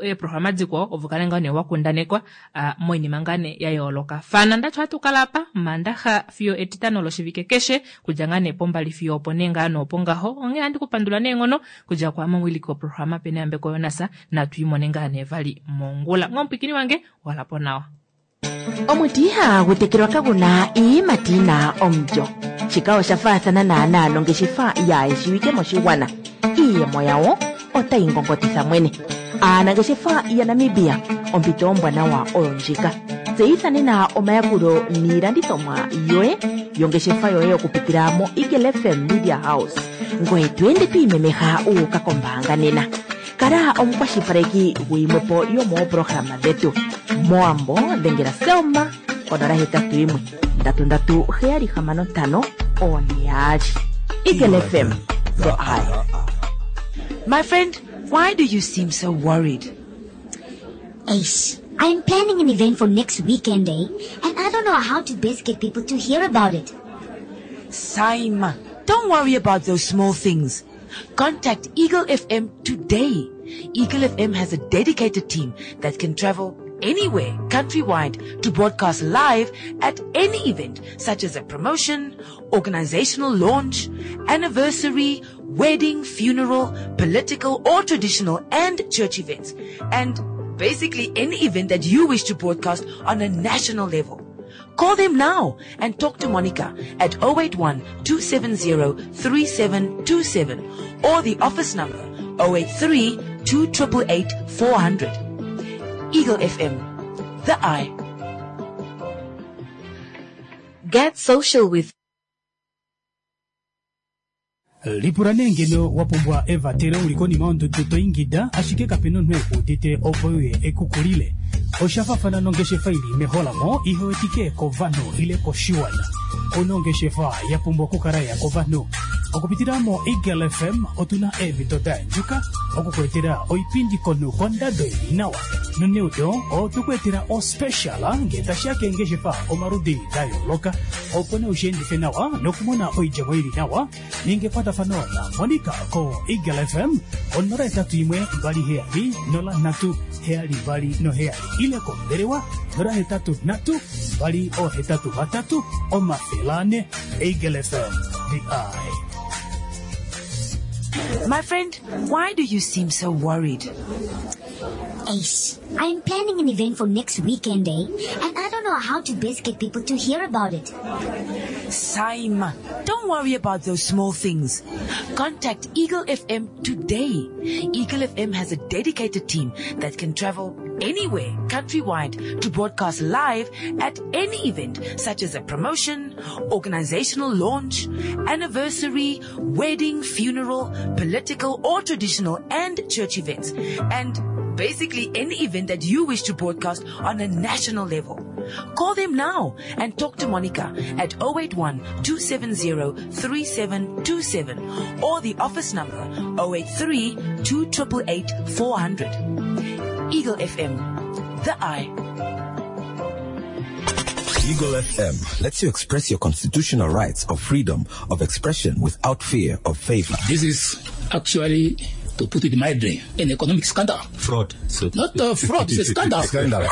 A: eeprograma dikwao ove kale ngaa nee wa kundanekwa moinima ngaa nee ya yoolokafana. Ndati ohatu kala apa Omaandaxa fiyo Etitano loshivike keshe kudja ngaa nee pombali fiyo opo nee ngaa noopo ngaho. Onghee ohandi ku pandula neenghono kudja kwaame omuwiliki woprograma Peneyambeko Jonas, natu imone ngaa nee vali mongula. Onghee omupwilikini wange, wala po nawa.
B: Omuti ihaagu tekelwa kagu na iiyimati yi na omulyo. Shika osha faathana naanaa nongeshefa yaayeshiwike moshigwana. Iiyemo yawo otayi ngongotitha mwene. Aanangeshefa yaNamibia, ompito ombwanawa oyo ndjika. Tseyitha nena omayakulo niilandithomwa yoye yongeshefa yoye okupitila moEagle FM Media House. Ngoye to ende to imemeha wu uka kombaanga nena. Kala omukwashilipaleki guyimwe po yomooprograma dhetu. Mowambo dhengela Selma konola hetatu yimwe ndatu ndatu heyali hamano ntano one yaali. Eagle FM, the eye.
C: My friend, why do you seem so worried?
D: Eish, I'm planning an event for next weekend, eh? And I don't know how to best get people to hear about it.
C: Saima, don't worry about those small things. Contact Eagle FM today. Eagle FM has a dedicated team that can travel anywhere countrywide to broadcast live at any event such as a promotion, organizational launch, anniversary, wedding, funeral, political or traditional and church events. And basically any event that you wish to broadcast on a national level. Call them now and talk to Monica at 081-270-3727 or the office number 083-2888-400. Eagle FM, the eye.
J: Get social with
K: Lipula nee ngeno wa pumbwa evatelo u li konima yondudu to ingida ashike kape na omunhu e ku udite opo e uye e ku kulile. Osha faafana nongeshefa i li meholamo ihe wetike kovanhu ile koshiwana. Ouna ongeshefa ya pumbwa okukala ya kovanhu. Okupitila moEagle FM otu na eemhito da yandjuka oku ku etela oipindi komunhu kondado i li nawa. Noneudo otwe ku etela ospecial ngee tashi ya keengeshefa omaludi da yooloka opo nee u shi endife nawa nokumona oidjemo i li nawa. Ninga ekwatafano naMonica koEagle FM ko 081 27 03 72 7 ile kombelewa 083 283 400. Eagle FM, the eye.
C: My friend, why do you seem so worried?
D: Eish, I'm planning an event for next weekend, eh? And I don't know how to best get people to hear about it.
C: Saima, don't worry about those small things. Contact Eagle FM today. Eagle FM has a dedicated team that can travel anywhere countrywide to broadcast live at any event such as a promotion, organizational launch, anniversary, wedding, funeral, political or traditional and church events. And basically any event that you wish to broadcast on a national level. Call them now and talk to Monica at 081 270 3727 or the office number 083 288 400. Eagle FM, the eye.
H: Eagle FM lets you express your constitutional rights of freedom of expression without fear of favor.
L: This is actually, to put it mildly, an economic scandal.
H: Fraud.
L: So Not a fraud, it's a scandal.
H: Scandal.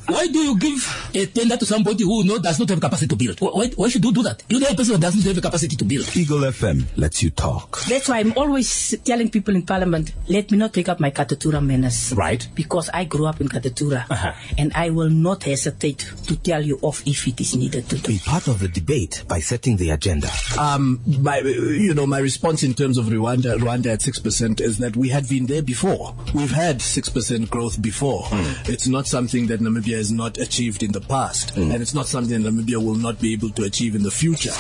L: Why do you give a tender to somebody who does not have capacity to build? Why should you do that? You know a person who does not have the capacity to build.
H: Eagle FM lets you talk.
M: That's why I'm always telling people in Parliament, let me not take up my Katutura manners.
H: Right.
M: Because I grew up in Katutura. Uh-huh. And I will not hesitate to tell you off if it is needed to do.
H: Be part of the debate by setting the agenda.
N: My response in terms of Rwanda at 6% is that we had been there before. We've had 6% growth before. Mm. It's not something that Namibia has not achieved in the past, and it's not something that Namibia will not be able to achieve in the future.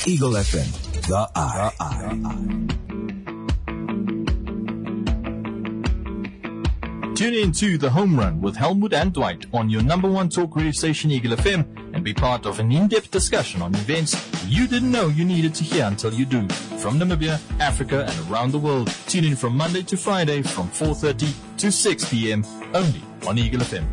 H: Eagle FM, the eye.
O: Tune in to The Home Run with Helmut and Dwight on your number one talk radio station, Eagle FM, and be part of an in-depth discussion on events you didn't know you needed to hear until you do. From Namibia, Africa, and around the world. Tune in from Monday to Friday from 4:30 to 6 p.m. only on Eagle FM.